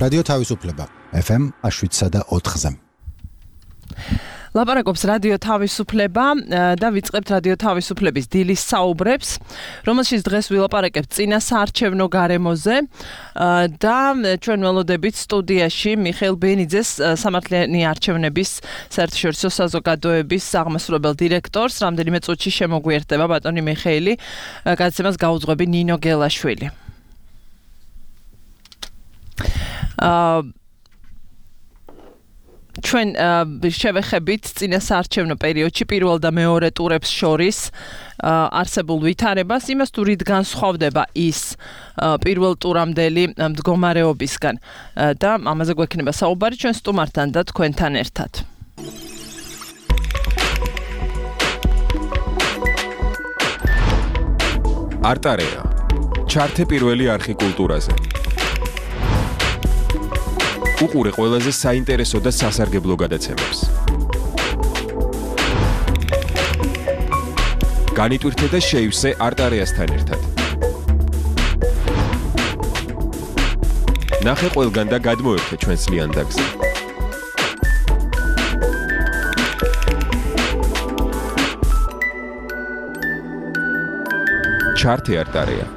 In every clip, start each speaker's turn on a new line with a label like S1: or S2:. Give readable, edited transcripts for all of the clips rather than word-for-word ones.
S1: რადიო თავისუფლება FM 7.4-ზე.
S2: ლაპარაკობს რადიო თავისუფლება და ვიწყებთ რადიო თავისუფლების დილის საუბრებს, რომელშიც დღეს ვილაპარაკებთ წინა საარჩევნო გარემოზე და ჩვენ ველოდებით სტუდიაში მიხეილ ბენიძეს სამართლიანი არჩევნების საერთაშორისო საზოგადოების აღმასრულებელ დირექტორს. რამდენიმე წუთში შემოგვიერთდება ბატონი მიხეილი, გადაცემას გაუძღვები ნინო გელაშვილი. ჩვენ შევეხებით წინა საარჩევნო პერიოდში პირველ და მეორე ტურებს შორის არსებულ ვითარებას, იმას თუ რით განსხვავდება ის პირველ ტურამდელი მდგომარეობისგან და ამაზე გვექნება საუბარი ჩვენ სტუმართან და თქვენთან ერთად.
S3: არტარეა. ჩართე პირველი არხი კულტურაზე. უყურე ყველაზე საინტერესო და სასარგებლო გადაცემებს. განიტვირთე და შეივსე არტარეასთან ერთად. ნახე ყველგან და გადმოერთე ჩვენს ლიანდაგზე. ჩართე არტარეა.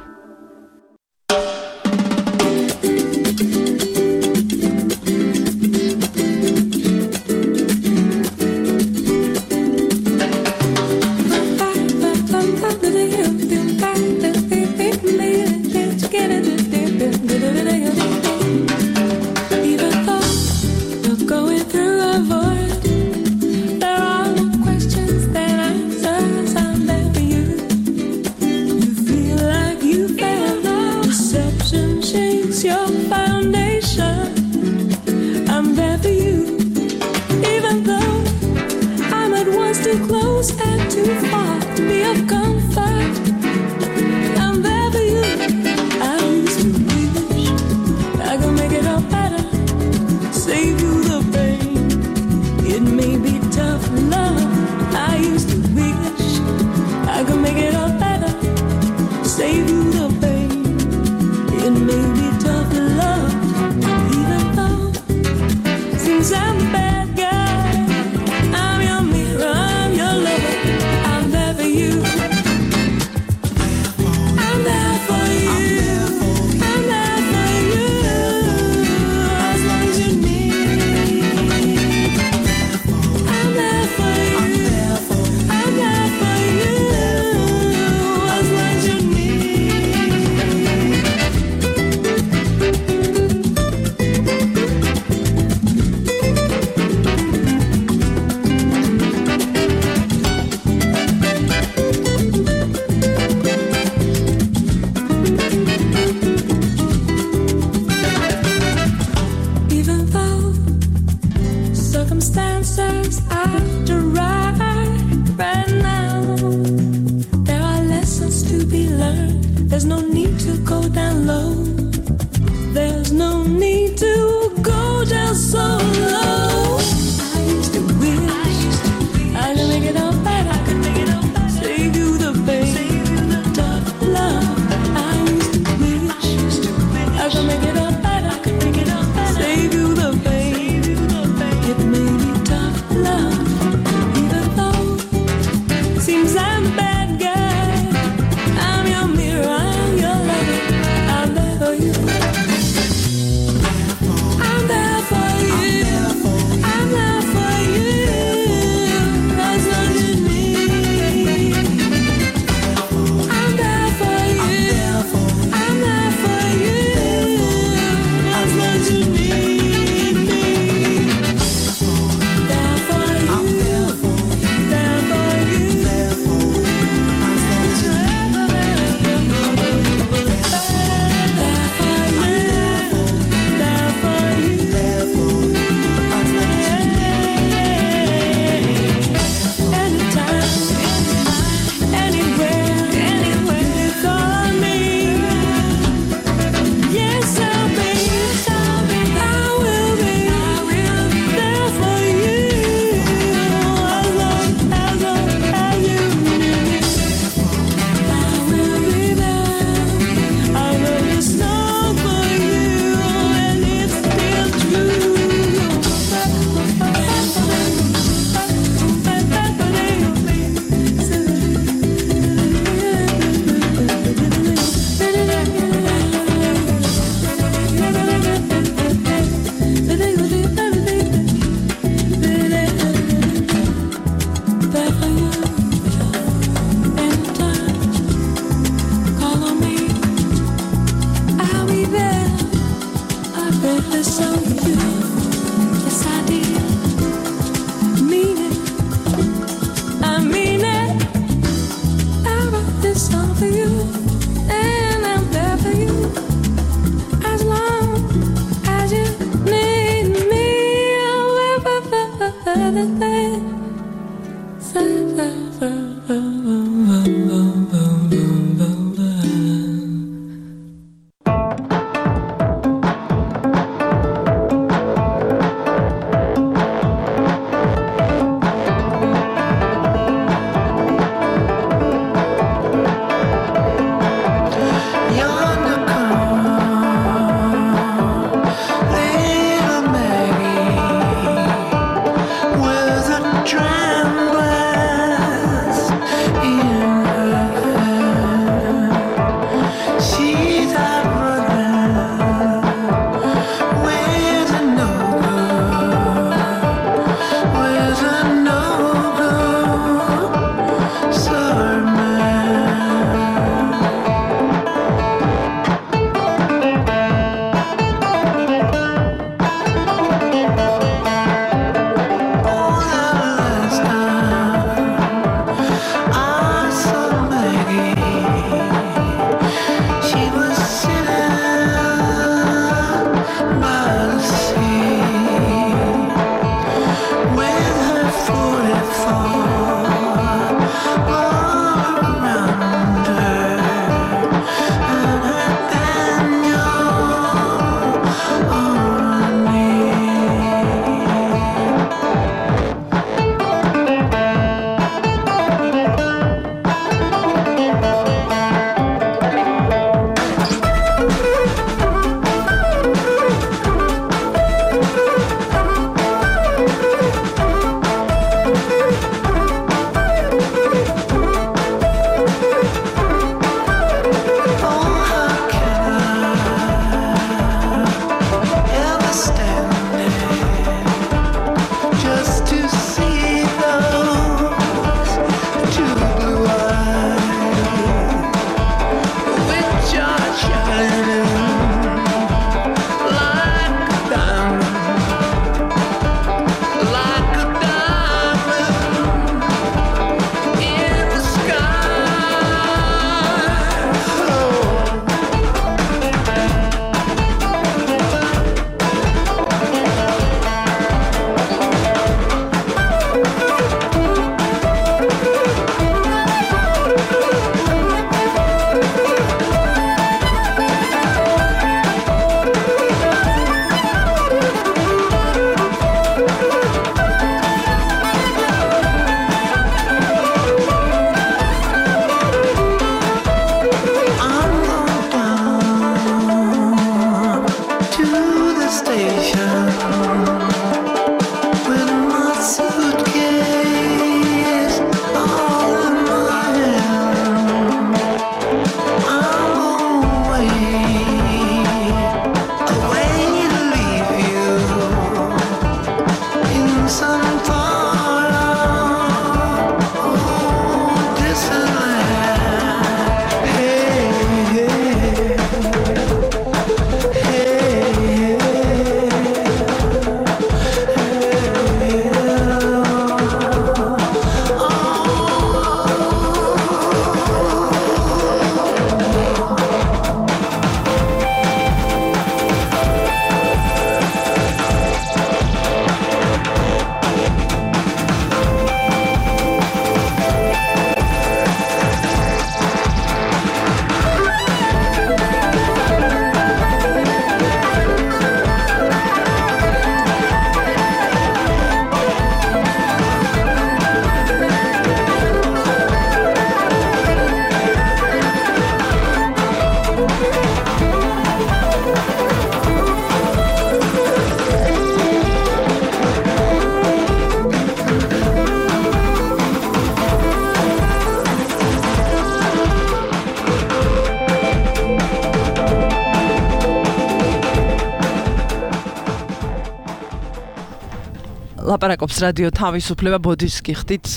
S2: ლაპარაკობს რადიო თავისუფლება ბოდიშს გიხდით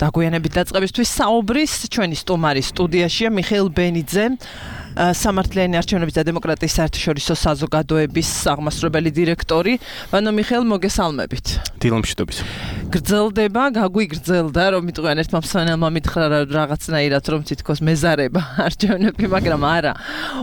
S2: დაგვიანებით დაწყებისთვის საუბრის ჩვენი სტუმარი სტუდიაშია მიხეილ ბენიძე სამართლიანი არჩევნების და დემოკრატიის საერთაშორისო საზოგადოების აღმასრულებელი დირექტორი. ბანო მიხეილ, მოგესალმებით.
S4: დილომშვიდობის.
S2: გრძელდება, გაგვიგრძელდა, რომ მიტყვიან ერთმა მსმენელმა მითხრა რაღაცნაირად, რომ თითქოს მეზარება არჩევნები, მაგრამ არა.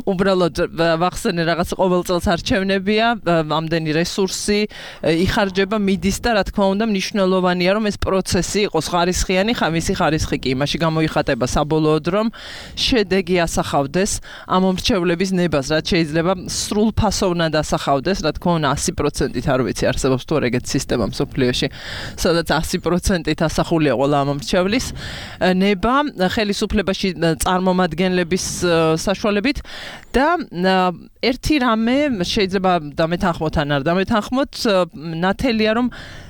S2: უბრალოდ ვახსენე რაღაც ყოველ წელს არჩევნებია, ამდენი რესურსი იხარჯება, მიდის და რა თქმა უნდა მნიშვნელოვანია, რომ ეს პროცესი იყოს ხარისხიანი, მისი ხარისხი კი იმაში გამოიხატება საბოლოოდ, რომ შედეგი ასახავდეს ამ მომრჩევლების ნებას, რაც შეიძლება სრულფასოვნად ასახავდეს, რა თქმა უნდა 100%-ით არ ვიცი, არსებობს თუ ეგეთი სისტემა მსოფლიოში, სადაც 100%-ით ასახულია ყველა ამ მომრჩევლის ნება ხელისუფლებაში წარმომადგენლების საშუალებით და ერთი რამე შეიძლება დამეთანხმოთ ან არ დამეთანხმოთ, ნათელია რომ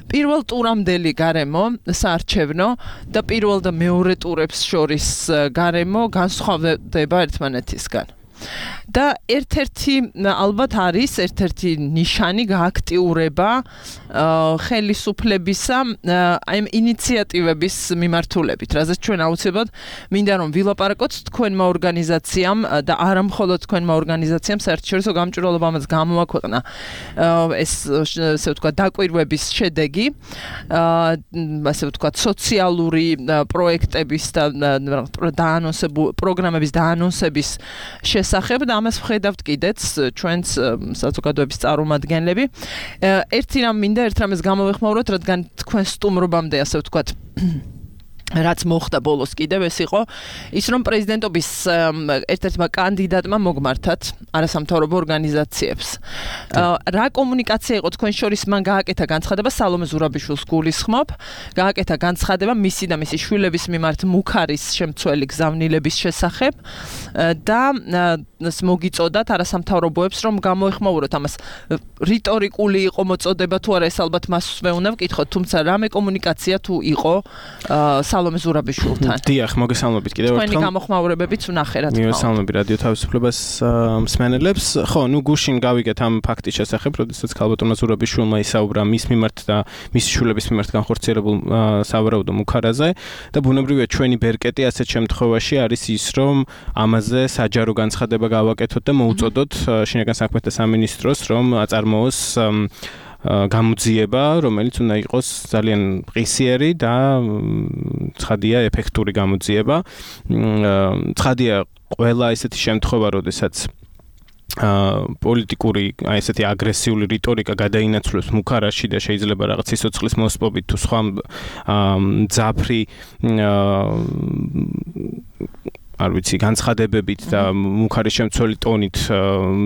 S2: პირველ ტურამდელი გარემო საარჩევნო და პირველ და მეორე ტურებს შორის გარემო განსხვავდება ერთმანეთისგან. და ერთ-ერთი ალბათ არის ერთ-ერთი ნიშანი გააქტიურება ხელისუფლებისა აი ინიციატივების მიმართულებით, რაზეც ჩვენ აუცილებლად მინდა რომ ვილაპარაკოთ თქვენმა ორგანიზაციამ და არა მხოლოდ თქვენმა ორგანიზაციამ საერთაშორისო გამჭვირვალობამ გამოაქვეყნა ეს ესე ვთქვათ დაკვირვების შედეგი ასე ვთქვათ სოციალური პროექტების და პროგრამების დაანონსების შესახებ და ამას ვხედავთ კიდეც ჩვენს საზოგადოების წარმომადგენლები. ერთი რამ მინდა ერთ რამეს გამოვეხმაუროთ, რადგან თქვენ სტუმრობამდე ასე ვთქვათ რაც მოხდა ბოლოს კიდევ ეს იყო ის რომ პრეზიდენტობის ერთ-ერთმა კანდიდატმა მოგმართათ არასამთავრობო ორგანიზაციებს. რა კომუნიკაცია იყო თქვენ შორის მან გააკეთა განცხადება სალომე ზურაბიშვილს გულისხმობ, გააკეთა განცხადება მისი და მისი შვილების მიმართ მუქარის შემცველი გზავნილების შესახებ და მოგიწოდათ არასამთავრობოებს რომ გამოეხმაუროთ ამას რიტორიკული იყო მოწოდება თუ არა ეს ალბათ მასვე უნდა ვკითხოთ, თუმცა რამე კომუნიკაცია თუ იყო სალომე ზურაბიშვილთან.
S4: დიახ, მოგესალმებით კიდევ ერთხელ.
S2: თქვენი გამოხმაურებებიც ვნახე რა თქმა უნდა.
S4: მოგესალმებით რადიო თავისუფლებას მსმენელებს. ხო, გუშინ გავიგეთ ამ ფაქტის შესახებ, როდესაც ქალბატონმა ზურაბიშვილმა ისაუბრა მის მიმართ და მისი შვილების მიმართ განხორციელებულ სავარაუდო მუქარაზე და ბუნებრივია ჩვენი ბერკეტი ასეთ შემთხვევაში არის ის, რომ ამაზე საჯარო განცხადება გავაკეთოთ და მოუწოდოთ შინაგან საქმეთა სამინისტროს, რომ აწარმოოს გამოძიება, რომელიც უნდა იყოს ძალიან ყისიერი და ცხადია ეფექტური გამოძიება. ცხადია ყველა ესეთი შემთხვევა, როდესაც პოლიტიკური აი ესეთი აგრესიული რიტორიკა გადაინაცვლებს მუქარაში და შეიძლება რაღაც სიცოცხლის მოსპობით თუ სხვა ძაფრი არ ვიცი განცხადებებით და მუქარის შემცველი ტონით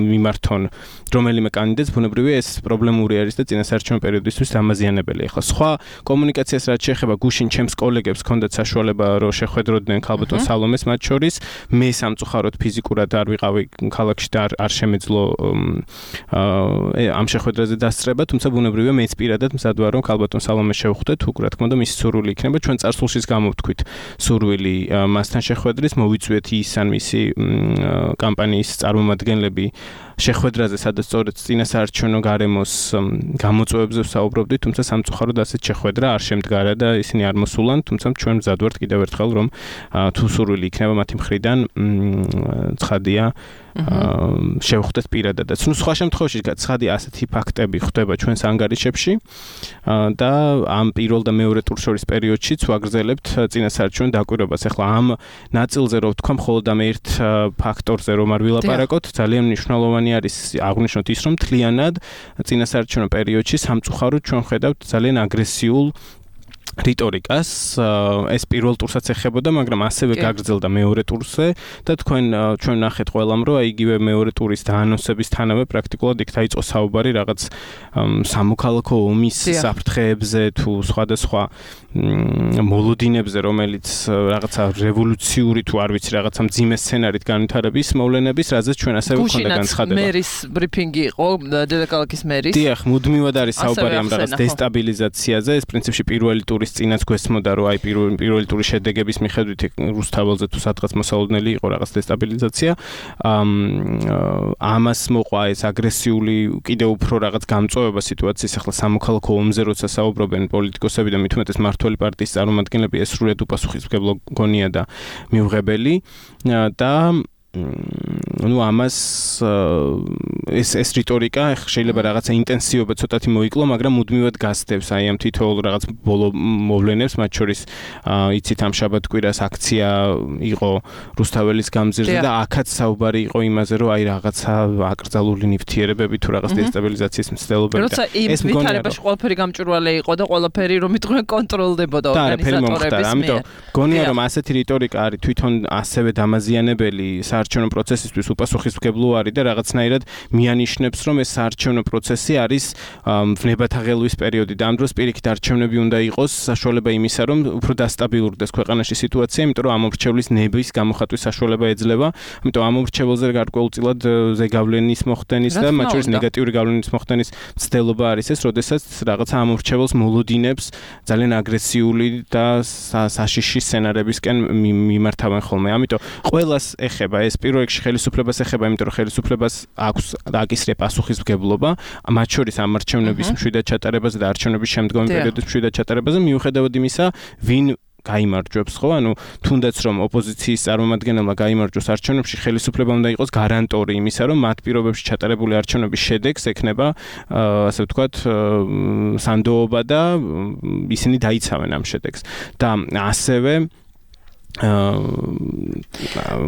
S4: მიმართონ რომელიმე კანდიდატს ბუნებრივია ეს პრობლემური არის და წინასაარჩევნო პერიოდისთვის დამაზიანებელი. ახლა სხვა კომუნიკაციას რაც შეეხება გუშინ ჩემს კოლეგებს ჰქონდათ საშუალება რომ შეხვედროდნენ ქალბატონ სალომეს მათ შორის მე სამწუხაროდ ფიზიკურად არ ვიყავი ქალაქში და არ შემეძლო ამ შეხვედრაზე დასწრება, თუმცა ბუნებრივია მეც პირადად მზად ვარ რომ ქალბატონ სალომეს შევხვდეთ, უკვე რა თქმა უნდა მისი სურვილი იქნება ჩვენ წარსულშიც გამოვთქვით სურვილი მასთან შეხვედრის მოვიწვიეთ ის ან მისი კამპანიის წარმომადგენლები შეხვედრაზე, სადაც სწორედ წინასაარჩევნო გარემოს გამოწვევებზე ვსაუბრობდით, თუმცა სამწუხაროდ ასეთ შეხვედრა არ შემდგარა და ისინი არ მოსულან, თუმცა ჩვენ მზად ვართ კიდევ ერთხელ რომ თუ სურვილი იქნება მათი მხრიდან ცხადია შევხვდეთ პირადადაც. სხვა შემთხვევაში ცხადია ასეთი ფაქტები ხდება ჩვენს ანგარიშებში და ამ პირველ და მეორე ტურს შორის პერიოდშიც ვაგრძელებთ წინასაარჩევნო დაკვირვებას. ახლა ამ ნაწილზე რო ვთქვა მხოლოდ ამ ერთ ფაქტორზე რომ არ ვილაპარაკოთ, ძალიან მნიშვნელოვანი არის აღვნიშნოთ ის, რომ მთლიანად წინასაარჩევნო პერიოდში სამწუხაროდ ჩვენ ხედავთ ძალიან აგრესიულ რიტორიკას, ეს პირველ ტურსაც ეხებოდა, მაგრამ ასევე გაგრძელდა მეორე ტურზე და ჩვენ ნახეთ ყველამ, რომ იგივე მეორე ტურის დაანონსებისთანავე პრაქტიკულად იქ დაიწყო საუბარი რაღაც სამოქალაქო ომის საფრთხეებზე თუ სხვადასხვა მოლოდინებზე, რომელიც რაღაცა რევოლუციური თუ არ ვიცი, რაღაცა მძიმე სცენარით განვითარების მოვლენების, რაზეც ჩვენ ასევე გვქონდა განცხადება.
S2: მერის ბრიფინგი იყო, დედაქალაქის მერის.
S4: დიახ, მუდმივად არის საუბარი ამ რაღაც დესტაბილიზაციაზე. ეს პრინციპში პირველი ტურის წინაც გვესმოდა, რომ აი პირველი ტურის შედეგების მიხედვით რუსთაველზე თუ სადღაც მოსალოდნელი იყო რაღაც დესტაბილიზაცია. ამას მოყვა ეს აგრესიული კიდევ უფრო რაღაც გამწვავება სიტუაციის ახლა სამოქალაქო ომზე, როცა საუბრობენ პოლიტიკოსები და მით უმეტეს მმართველი პარტიის წარმომადგენლები, ეს სრულიად უპასუხისმგებლო გონია და მიუღებელი და ამას ეს რიტორიკა შეიძლება რაღაცა ინტენსივობა ცოტათი მოიკლო, მაგრამ მუდმივად გასდევს აი ამ თითოეულ რაღაც ბოლო მოვლენებს, მათ შორის იცით ამ შაბათ-კვირას აქცია იყო რუსთაველის გამზირზე და აქაც საუბარი იყო იმაზე, რომ აი რაღაცა აკრძალული ნივთიერებები თუ რაღაც დესტაბილიზაციის მცდელობები
S2: და ეს ვითარებაში ყველაფერი გამჭვირვალე იყო და ყველაფერი რომ იტყვიან კონტროლდებოდა ორგანიზატორების მიერ.
S4: ამიტომ გონია რომ ასეთი რიტორიკა არის თვითონ ასევე დამაზიანებელი საარჩევნო პროცესისთვის უპასუხისმგებლო არის და რაღაცნაირად მიანიშნებს, რომ ეს საარჩევნო პროცესი არის ვნებათაღელვის პერიოდი და ამ დროს პირიქით არჩევნები უნდა იყოს საშუალება იმისა, რომ უფრო დასტაბილურდეს ქვეყანაში სიტუაცია, იმიტომ რომ ამომრჩევლის ნების გამოხატვის საშუალება ეძლევა, ამიტომ ამომრჩეველზე გარკვეულწილად ზეგავლენის მოხდენის და მათ შორის ნეგატიური გავლენის მოხდენის მცდელობა არის ეს, როდესაც რაღაცა ამომრჩეველს მოლოდინებს ძალიან აგრესიული და საშიში სცენარებისკენ მიმართავენ ხოლმე. ამიტომ ყველას ეხება ეს პირველ რიგში ხელისუფლებას ეხება, იმიტომ რომ ხელისუფლებას აქვს აკისრია პასუხისმგებლობა, მათ შორის ამ არჩევნების მშვიდად ჩატარებაზე და არჩევნების შემდგომი პერიოდის მშვიდად ჩატარებაზე, მიუხედავად იმისა, ვინ გაიმარჯვებს, ხო? ანუ თუნდაც რომ ოპოზიციის წარმომადგენელმა გაიმარჯვოს არჩევნებში, ხელისუფლება უნდა იყოს გარანტორი იმისა, რომ მათ პირობებში ჩატარებული არჩევნების შედეგს ექნება, ასე ვთქვათ, სანდოობა და ისინი დაიცავენ ამ შედეგს. და ასევე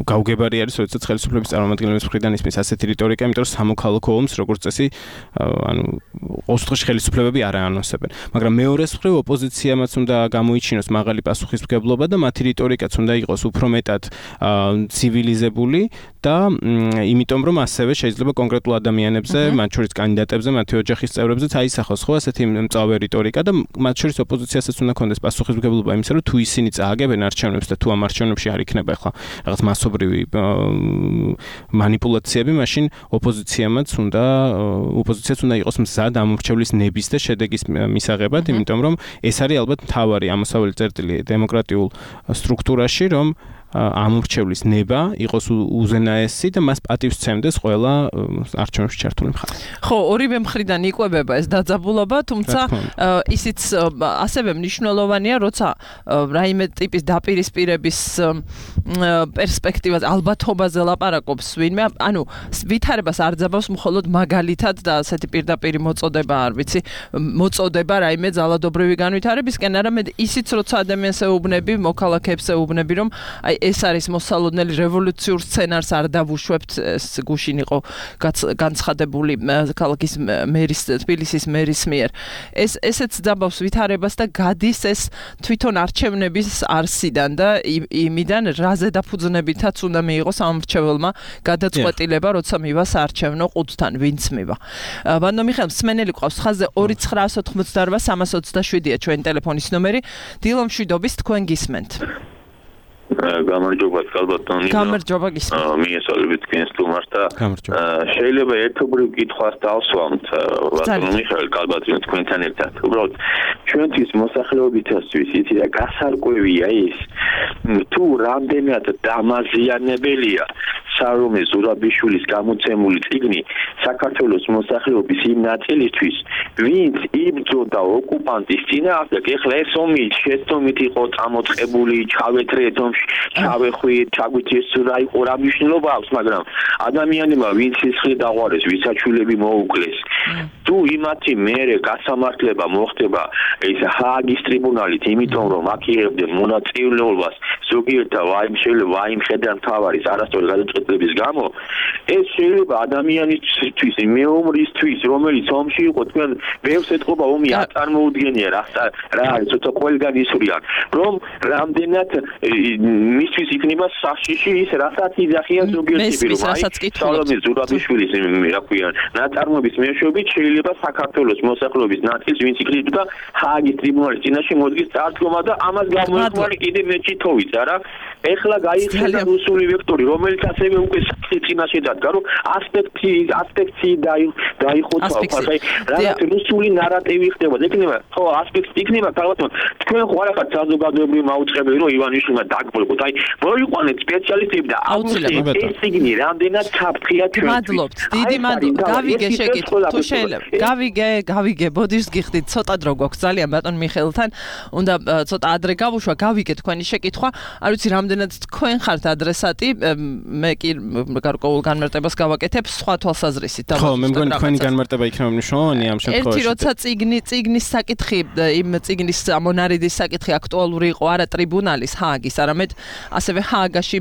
S4: გაუგებარი არის, როდესაც ხელისუფლების წარმომადგენლების მხრიდან ისმის ასეთი რიტორიკა, იმიტომ რომ სამოქალაქო ომს როგორც წესი, ხელისუფლებები არ აანონსებენ. მაგრამ მეორეს მხრივ ოპოზიციამაც უნდა გამოიჩინოს მაღალი პასუხისმგებლობა და მათი რიტორიკაც უნდა იყოს უფრო მეტად ცივილიზებული და იმიტომ რომ ასევე შეიძლება კონკრეტულ ადამიანებზე, მათ შორის კანდიდატებზე, მათი ოჯახის წევრებზეც აისახოს ხო ასეთი მწვავე რიტორიკა და მათ შორის ოპოზიციასაც უნდა კონდეს პასუხისმგებლობა იმისა, რომ თუ ისინი წააგებენ არჩევნებს და თუ ამ არჩევნებში არ იქნება ახლა რაღაც მასობრივი манипуляციები, მაშინ ოპოზიციაც უნდა იყოს მზად ამორჩევლის ნების და შედეგის მისაღებად, იმიტომ რომ ეს არის ალბათ მთავარი ამოსავალი წერტილი დემოკრატიულ სტრუქტურაში, რომ ამორჩევლის ნება იყოს უზენაესი და მას პატივს სცემდეს ყველა არჩევნებში ჩართული მხარე.
S2: ხო, ორივე მხრიდან იკვებება ეს დაძაბულობა, თუმცა ისიც ასევე მნიშვნელოვანია, როცა რაიმე ტიპის დაპირისპირების პერსპექტივას ალბათობაზე ლაპარაკობს ვინმე, ანუ ვითარებას არ ძაბავს მხოლოდ მაგალითად და ასეთი პირდაპირი მოწოდება, არ ვიცი, მოწოდება რაიმე ძალადობრივი განვითარებისკენ, არამედ ისიც როცა ადამიანს ეუბნები, მოქალაქეებს ეუბნები, რომ აი ეს არის მოსალოდნელი რევოლუციურ სცენარს არ დავუშვებთ, ეს გუშინ იყო განცხადებული ქალაქის მერის, თბილისის მერის მიერ. ესეც ძაბავს ვითარებას და გადის ეს თვითონ არჩევნების არსიდან და იმიდან რაზე დაფუძნებითაც უნდა მიიღოს ამორჩეველმა გადაწყვეტილება, როცა მივა საარჩევნო ყუთთან, ვინც მივა. ბანდო მიხეილ მსმენელი ყავს ხაზზე 2988327-ია ჩვენი ტელეფონის ნომერი. დილო მშვიდობის, თქვენ გისმენთ.
S5: გამარჯობა კალბატონი.
S2: გამარჯობა გისმენთ.
S5: მიესალმებით თქვენ სტუმარს და შეიძლება ერთობრივ კითხვას დავსვამთ ბატონო მიხეილ კალბატონი თქვენთან ერთად. უბრალოდ ჩვენთვის მოსახლეობისათვის იცი და გასარკვევია ის თუ რამდენად დამაზიანებელია სარომე ზურაბიშვილის გამოცემული წიგნი საქართველოს მოსახლეობის იმ ნაწილისთვის, ვინც იბრძოდა ოკუპანტის წინააღმდეგ. ეხლა ეს ომი შეცდომით იყო წამოწყებული, ჩავეთრეთ ომში, ჩავეხვიეთ, ჩაგვიჩეს რა იყო, რა მნიშვნელობა აქვს, მაგრამ ადამიანებმა ვინც სისხლი დაღვარეს, ვისაჩულები მოუკლეს. თუ იმათი მერე გასამართლება მოხდება ეს ჰააგის ტრიბუნალით, იმიტომ რომ აქ იღებდნენ მონაწილეობას ზოგიერთი შეიძლება ვაიმ ხედან თავარის არასწორი გადაწყვეტილების გამო ეს შეიძლება ადამიანისთვის მეომრისთვის რომელიც ომში იყო თქვენ ბევრს ეთყობა ომი არ წარმოუდგენია რა არის ცოტა ყველგან ისვრიან რომ რამდენად მისთვის იქნება საშიში ის რასაც იძახიან ზოგიერთი პირო სალომე ზურაბიშვილის რა ქვია ნაწარმოების მეშვეობით შეიძლება საქართველოს მოსახლეობის ნაწილს ვინც იქნება ჰააგის ტრიბუნალის წინაშე მოდგის წარდგომა და ამას გამოიყვანე კიდე მეჩი თოვიცა რა ეხლა გაიხსნა რუსული ვექტორი რომელიც ასევე უკვე წინაშე დადგა რომ ასპექტი დაიხოცა ხა რაღაც რუსული ნარატივი ხდება იქნება ხო ასპექტი იქნება თავად თქვენ ხო არ ახართ საზოგადოებრივი მაუწყებელი რომ ივანიშვილმა დაგბოლოთ აი მოიყვანეთ სპეციალისტები და აუცილებლად ეს სიგნი რამდენად საფრთხეა ჩვენ
S2: მადლობთ დიდი მადლობა გავიგე შეკითხვა თუ შეიძლება გავიგე ბოდიშს გიხდით ცოტა დრო გვაქვს ძალიან ბატონ მიხეილთან უნდა ცოტა ადრე გავუშვა გავიგე თქვენი შეკითხვა არ ვიცი რამდენად თქვენ ხართ ადრესატი მე კი გარკვეულ განმარტებას გავაკეთებ სხვა თვალსაზრისით
S4: ხო მე მგონი თქვენი განმარტება იქნება მნიშვნელოვანი ამ შემთხვევაში
S2: ერთი როცა წიგნის საკითხი იმ წიგნის მონარიდის საკითხი აქტუალური იყო არა ტრიბუნალის ჰააგის არამედ ასევე ჰააგაში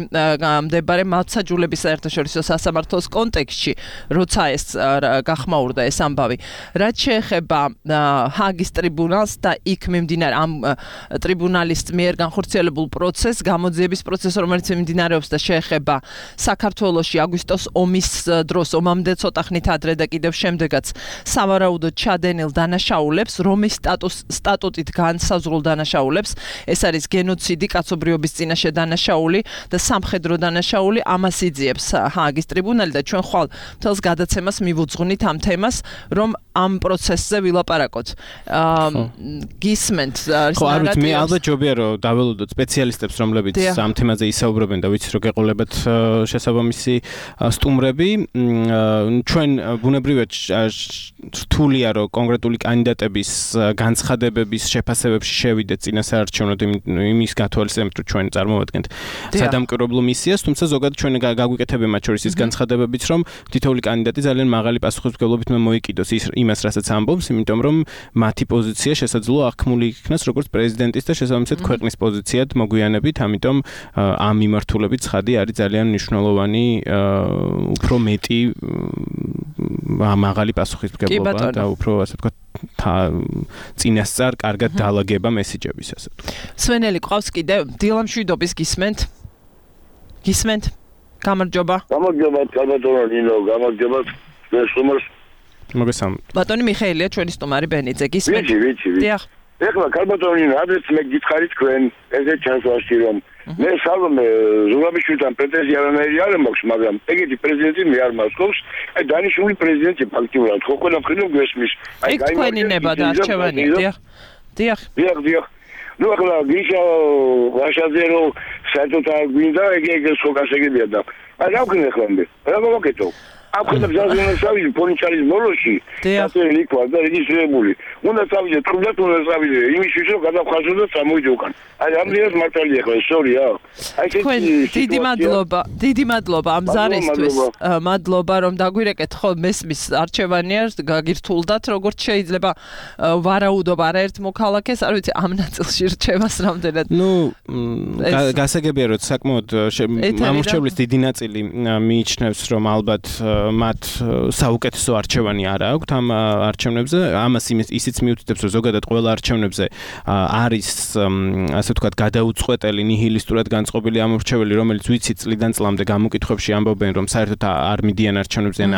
S2: მდებარე მართლმსაჯულების საერთაშორისო სასამართლოს კონტექსტში როცა ეს გახმაურდა ეს ამბავი რაც შეეხება ჰააგის ტრიბუნალს და იქ მიმდინარე ამ ტრიბუნალის მიერ განხორციელებულ პროცესს გამოძიების პროცესს რომელიც მიმდინარეობს და შეეხება საქართველოში აგვისტოს ომის დროს ომამდე ცოტა ხნით ადრე და კიდევ შემდეგაც სავარაუდოდ ჩადენილ დანაშაულებს რომის სტატუტით განსაზღვრულ დანაშაულებს ეს არის გენოციდი კაცობრიობის წინაშე დანაშაული და სამხედრო დანაშაული ამას იძიებს ჰააგის ტრიბუნალი და ჩვენ ხვალ მთელს გადაცემას მივუძღვნით ამ თემას რომ ამ პროცესზე ვილაპარაკოთ გისმენთ
S4: ხო არ ვიცი მე ალბათ ჯობია რომ დაველოდოთ სპეციალისტებს რომლებიც ამ თემაზე ისაუბრებენ და ვიცი რომ გეყოლებათ შესაბამისი სტუმრები ჩვენ ბუნებრივად რთულია რომ კონკრეტული კანდიდატების განცხადებების შეფასებებში შევიდეთ წინასაარჩევნოდ იმის გათვალისწინებით რომ ჩვენ წარმოვადგენთ სადამკვირვებლო მისიას თუმცა ზოგადად ჩვენ გაგვიკეთებია მათ შორის ის განცხადებებიც რომ თითოეული კანდიდატი ძალიან მაღალი პასუხისმგებლობით მოიკიდოს იმას რასაც ამბობს იმიტომ რომ მათი პოზიცია შესაძლოა აღქმული იქნას როგორც პრეზიდენტის და შესაბამისად ქვეყნის პოზიციად მოგვიანებით ამიტომ ამ მიმართულებით ცხადი არის ძალიან მნიშვნელოვანი უფრო მეტი მაღალი პასუხისმგებლობა და უფრო ასე ვთქვათ წინასწარ კარგად დაალაგება მესიჯების ასე ვთქვათ.
S2: სვენელი ყავს კიდევ დილამშვიდობის გისმენთ გამარჯობა
S6: კალბატონო გამარჯობა სტუმარს
S4: მოგესალმებით
S2: ბატონი მიხეილია ჩვენი სტუმარი ბენიძე გისმენთ
S6: ვიცი ეხლა კალბატონო ადრეს მე გითხარით თქვენ ესე ჩანსვაში რომ მე სალომე ზურაბიშვილთან პრეტენზია არ მაქვს მაგრამ ეგეთი პრეზიდენტი მე არ მასწავს აი დანიშნული პრეზიდენტი ფაქტიურად ხო ყველა მხრივ გვესმის
S2: აი თქვენი ნება და არჩევანია დიახ
S6: ნუ ახლა გიშა ვაშაზე რომ საერთოდ არ გვინდა ეგ ხო გასაგებია და აი რა ვქნა ახლა მე რა მოვაკეთო აფხეთა ბზაზიანის ავიზე ფონიჩარის მოლოში დასერილი იქვა და რეგისტრირებული უნდა წავიდე თუნდაც უნდა წავიდე იმისთვის რომ გადავხაზო და წამოვიდე უკან აი ამდენად მართალია ხო სორია აი
S2: დიდი მადლობა ამ ზარისთვის მადლობა რომ დაგვირეკეთ ხო მესმის არჩევანია გაგირთულდათ როგორც შეიძლება ვარაუდობ არაერთ მოქალაქეს არ ვიცი ამ ნაწილში რჩევას რამდენად
S4: ნუ გასაგებია რომ საკმაოდ ამორჩევლის დიდი ნაწილი მიიჩნევს რომ ალბათ მათ საუკეთესო არჩევანი არ აქვთ ამ არჩევნებზე ამას ისიც მიუთითებს რომ ზოგადად ყველა არჩევნებზე არის ასე ვთქვათ გადაუწყვეტელი ნიჰილისტურად განწყობილი ამორჩეველი რომელიც ვიცი წლიდან წლამდე გამოკითხვებში ამბობენ რომ საერთოდ არ მიდიან არჩევნებზე ან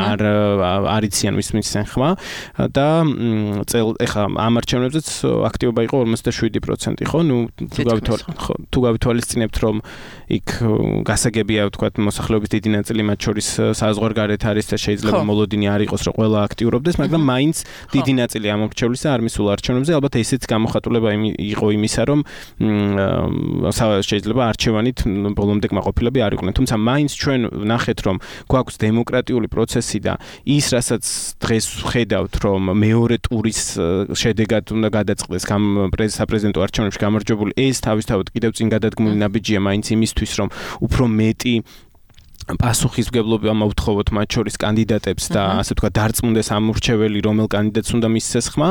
S4: არ იციან ვისმისენ ხმა და ეხლა ამ არჩევნებზეც აქტივობა იყო 57% ხო ნუ თუ გავითვალისწინებთ რომ იქ გასაგებია ვთქვათ მოსახლეობის დიდი ნაწილი მათ შორის საზღვარგარეთ არის და შეიძლება მოლოდინი არ იყოს რომ ყველა აქტიურობდეს მაგრამ მაინც დიდი ნაწილი ამორჩევლისა არ მისულა არჩევნებზე ალბათ ესეც გამოხატულება იყო იმისა რომ შეიძლება არჩევანით ბოლომდე კმაყოფილები არ იყვნენ თუმცა მაინც ჩვენ ნახეთ რომ გვაქვს დემოკრატიული პროცესი და ის რასაც დღეს ხედავთ რომ მეორე ტურის შედეგად უნდა გადაწყდეს საპრეზიდენტო არჩევნებში გამარჯვებული ეს თავისთავად კიდევ წინ გადადგმული ნაბიჯია მაინც იმისთვის რომ უფრო მეტი პასუხისმგებლობა მოვთხოვოთ მათ შორის კანდიდატებს და ასე ვთქვათ დარწმუნდეს ამ მრჩეველი რომელ კანდიდატს უნდა მისცეს ხმა.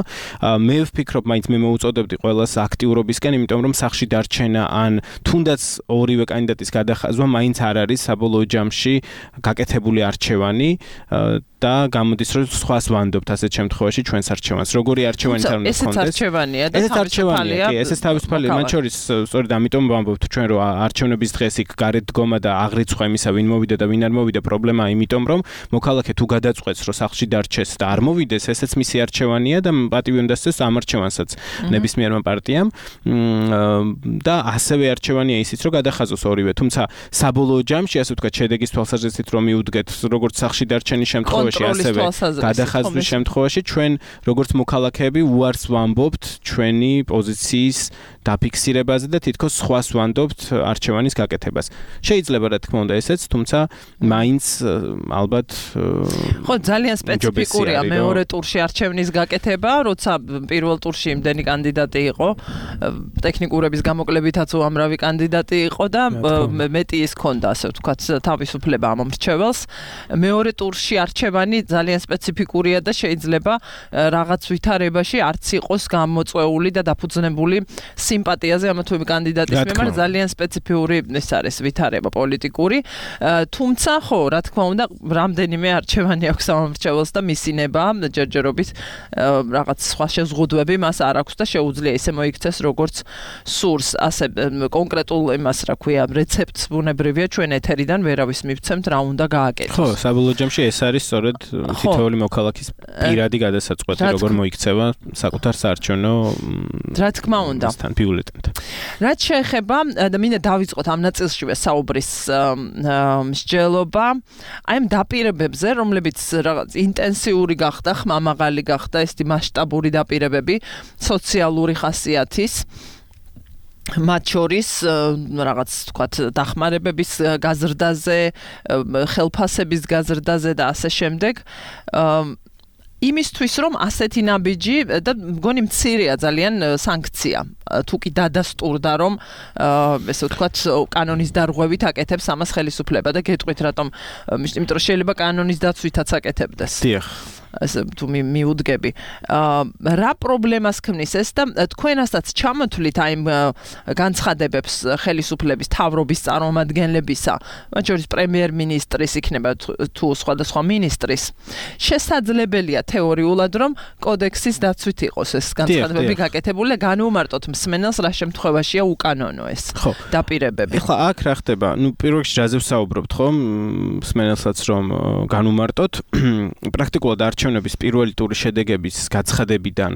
S4: მე ვფიქრობ, მაინც მე მოვუწოდებდი ყველას აქტიურობისკენ, იმიტომ რომ სახლში დარჩენა ან თუნდაც ორივე კანდიდატის გადახაზვა მაინც არ არის საბოლოო ჯამში გაკეთებული არჩევანი და გამოდის რომ სხვას ვანდობთ ასეთ შემთხვევაში ჩვენს არჩევანს. როგორი არჩევანი არ უნდა
S2: გქონდეს? ესეც არჩევანია და
S4: თავისუფალია. კი, ესეც თავისუფალია. მათ შორის სწორედ ამიტომ ვამბობთ ჩვენ რომ არჩევნების დღეს იქ გარეთ დგომა და აღრიცხვა იმისა ვინ მოვიდა და ვინ არ მოვიდა პრობლემაა იმიტომ რომ მოქალაქე თუ გადაწყვეტს რომ სახლში დარჩეს და არ მოვიდეს ესეც მისი არჩევანია და პატივი უნდა სცეს ამ არჩევანსაც ნებისმიერმა პარტიამ და ასევე არჩევანია ისიც რომ გადახაზოს ორივე თუმცა საბოლოო ჯამში ასე ვთქვათ შედეგის თვალსაზრისით რომ მიუდგეთ როგორც სახლში დარჩენის შემთხვევაში ასევე გადახაზვის შემთხვევაში ჩვენ როგორც მოქალაქეები უარს ვამბობთ ჩვენი პოზიციის დაფიქსირებაზე და თითქოს სხვას ვანდობთ არჩევანის გაკეთებას. შეიძლება რა თქმა უნდა ესეც, თუმცა მაინც ალბათ
S2: ხო ძალიან სპეციფიკურია მეორე ტურში არჩევნის გაკეთება, როცა პირველ ტურში იმდენი კანდიდატი იყო, ტექნიკურების გამოკლებითაც უამრავი კანდიდატი იყო და მეტი ის ქონდა, ასე ვთქვათ, თავისუფლება ამ მრჩეველს. მეორე ტურში არჩევანი ძალიან სპეციფიკურია და შეიძლება რაღაც ვითარებაში არც იყოს გამოწვეული და დაფუძნებული სიმპათიაზე ამა თუ იმ კანდიდატის მიმართ ძალიან სპეციფიური ეს არის ვითარება პოლიტიკური. თუმცა ხო, რა თქმა უნდა, რამდენიმე არჩევანი აქვს ამ მრჩეველს და მისინება ჯერჯერობით რაღაც სხვა შეზღუდვები მას არ აქვს და შეუძლია ისე მოიქცეს როგორც სურს. ასე კონკრეტულ იმას რა ქვია, რეცეპტს ბუნებრივია ჩვენ ეთერიდან ვერავის მივცემთ რა უნდა გააკეთოს.
S4: ხო, საბოლოო ჯამში ეს არის სწორედ თითოეული მოქალაქის პირადი გადასაწყვეტი, როგორ მოიქცევა საკუთარ საარჩევნო
S2: რა თქმა უნდა. რაც შეეხება და მინდა დავიწყოთ ამ ნაწილშივე საუბრის მსჯელობა აი ამ დაპირებებზე, რომლებიც რაღაც ინტენსიური გახდა, ხმამაღალი გახდა, ეს მასშტაბური დაპირებები, სოციალური ხასიათის მათ შორის რაღაც თქვათ დახმარებების გაზრდაზე, ხელფასების გაზრდაზე და ასე შემდეგ. იმისთვის რომ ასეთი ნაბიჯი და მგონი მცირეა ძალიან სანქცია თუ კი დადასტურდა რომ ესე ვთქვათ კანონის დარღვევით აკეთებს ამას ხელისუფლება და გეტყვით რატომ იმიტომ რომ შეიძლება კანონის დაცვითაც აკეთებდეს.
S4: დიახ.
S2: ასე თუ მიუდგები. რა პრობლემას ქმნის ეს და თქვენასაც ჩამოთვლით აი განცხადებებს ხელისუფლების თავრობის წარმომადგენლებისა, მათ შორის პრემიერ-მინისტრის იქნება თუ სხვადასხვა მინისტრის. შესაძლებელია თეორიულად რომ კოდექსის დაცვით იყოს ეს განცხადებები გაკეთებული და განვუმარტოთ მსმენელს რა შემთხვევაშია უკანონო ეს დაპირებები.
S4: ეხლა აქ რა ხდება? ნუ პირველ რიგში ჯაზე ვსაუბრობთ ხომ? მსმენელსაც რომ განვუმარტოთ პრაქტიკულად არჩევნების პირველი ტურის შედეგების გაცხადებიდან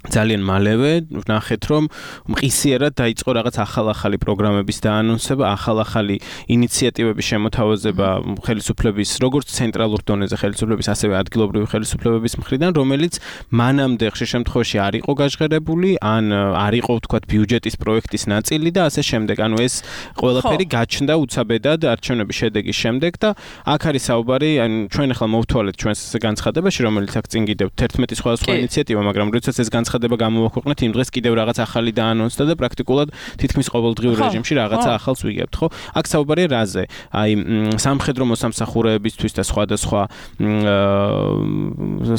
S4: ძალიან მალევე ვნახეთ რომ მყისიერად დაიწყო რაღაც ახალ-ახალი პროგრამების დაანონსება, ახალ-ახალი ინიციატივების შემოთავაზება ხელისუფლების როგორც ცენტრალურ დონეზე ხელისუფლების, ასევე ადგილობრივი ხელისუფლებების მხრიდან, რომელიც მანამდე ხშირ შემთხვევაში არ იყო გაჟღერებული, ან არ იყო ვთქვათ ბიუჯეტის პროექტის ნაწილი და ასე შემდეგ. ანუ ეს ყველაფერი გაჩნდა უცაბედად არჩევნების შედეგის შემდეგ და აქ არის საუბარი, ან ჩვენ ახლა მოვთვალეთ ჩვენს განცხადებაში, რომელიც აქ წინ კიდევ 11 სხვადასხვა ინიციატივა, მაგრამ როდესაც ეს განცხადება გამოვაქვეყნეთ, იმ დღეს კიდევ რაღაც ახალი დაანონსდა და პრაქტიკულად თითქმის ყოველდღიურ რეჟიმში რაღაცა ახალს ვიგებთ, ხო? აქ საუბარია რაზე? აი სამხედრო მოსამსახურეებისთვის და სხვადასხვა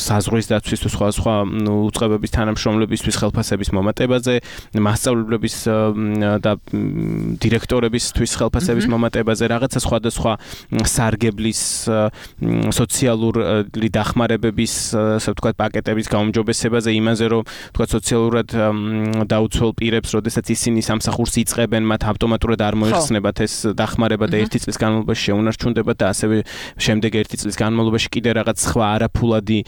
S4: საზღვრის დაცვის თუ სხვადასხვა უწყებების თანამშრომლებისთვის ხელფასების მომატებაზე, მასწავლებლების და დირექტორებისთვის ხელფასების მომატებაზე, რაღაცა სხვადასხვა სარგებლის სოციალური დახმარებების, ასე ვთქვათ, პაკეტების გაუმჯობესებაზე, იმაზე რომ თქვათ სოციალურად დაუცველ პირებს, როდესაც ისინი სამსახურს იწყებენ, მათ ავტომატურად არ მოიხსნებათ ეს დახმარება და 1 წლის განმავლობაში შეუნარჩუნდებათ და ასევე შემდეგ 1 წლის განმავლობაში კიდე რაღაც სხვა არაფულადი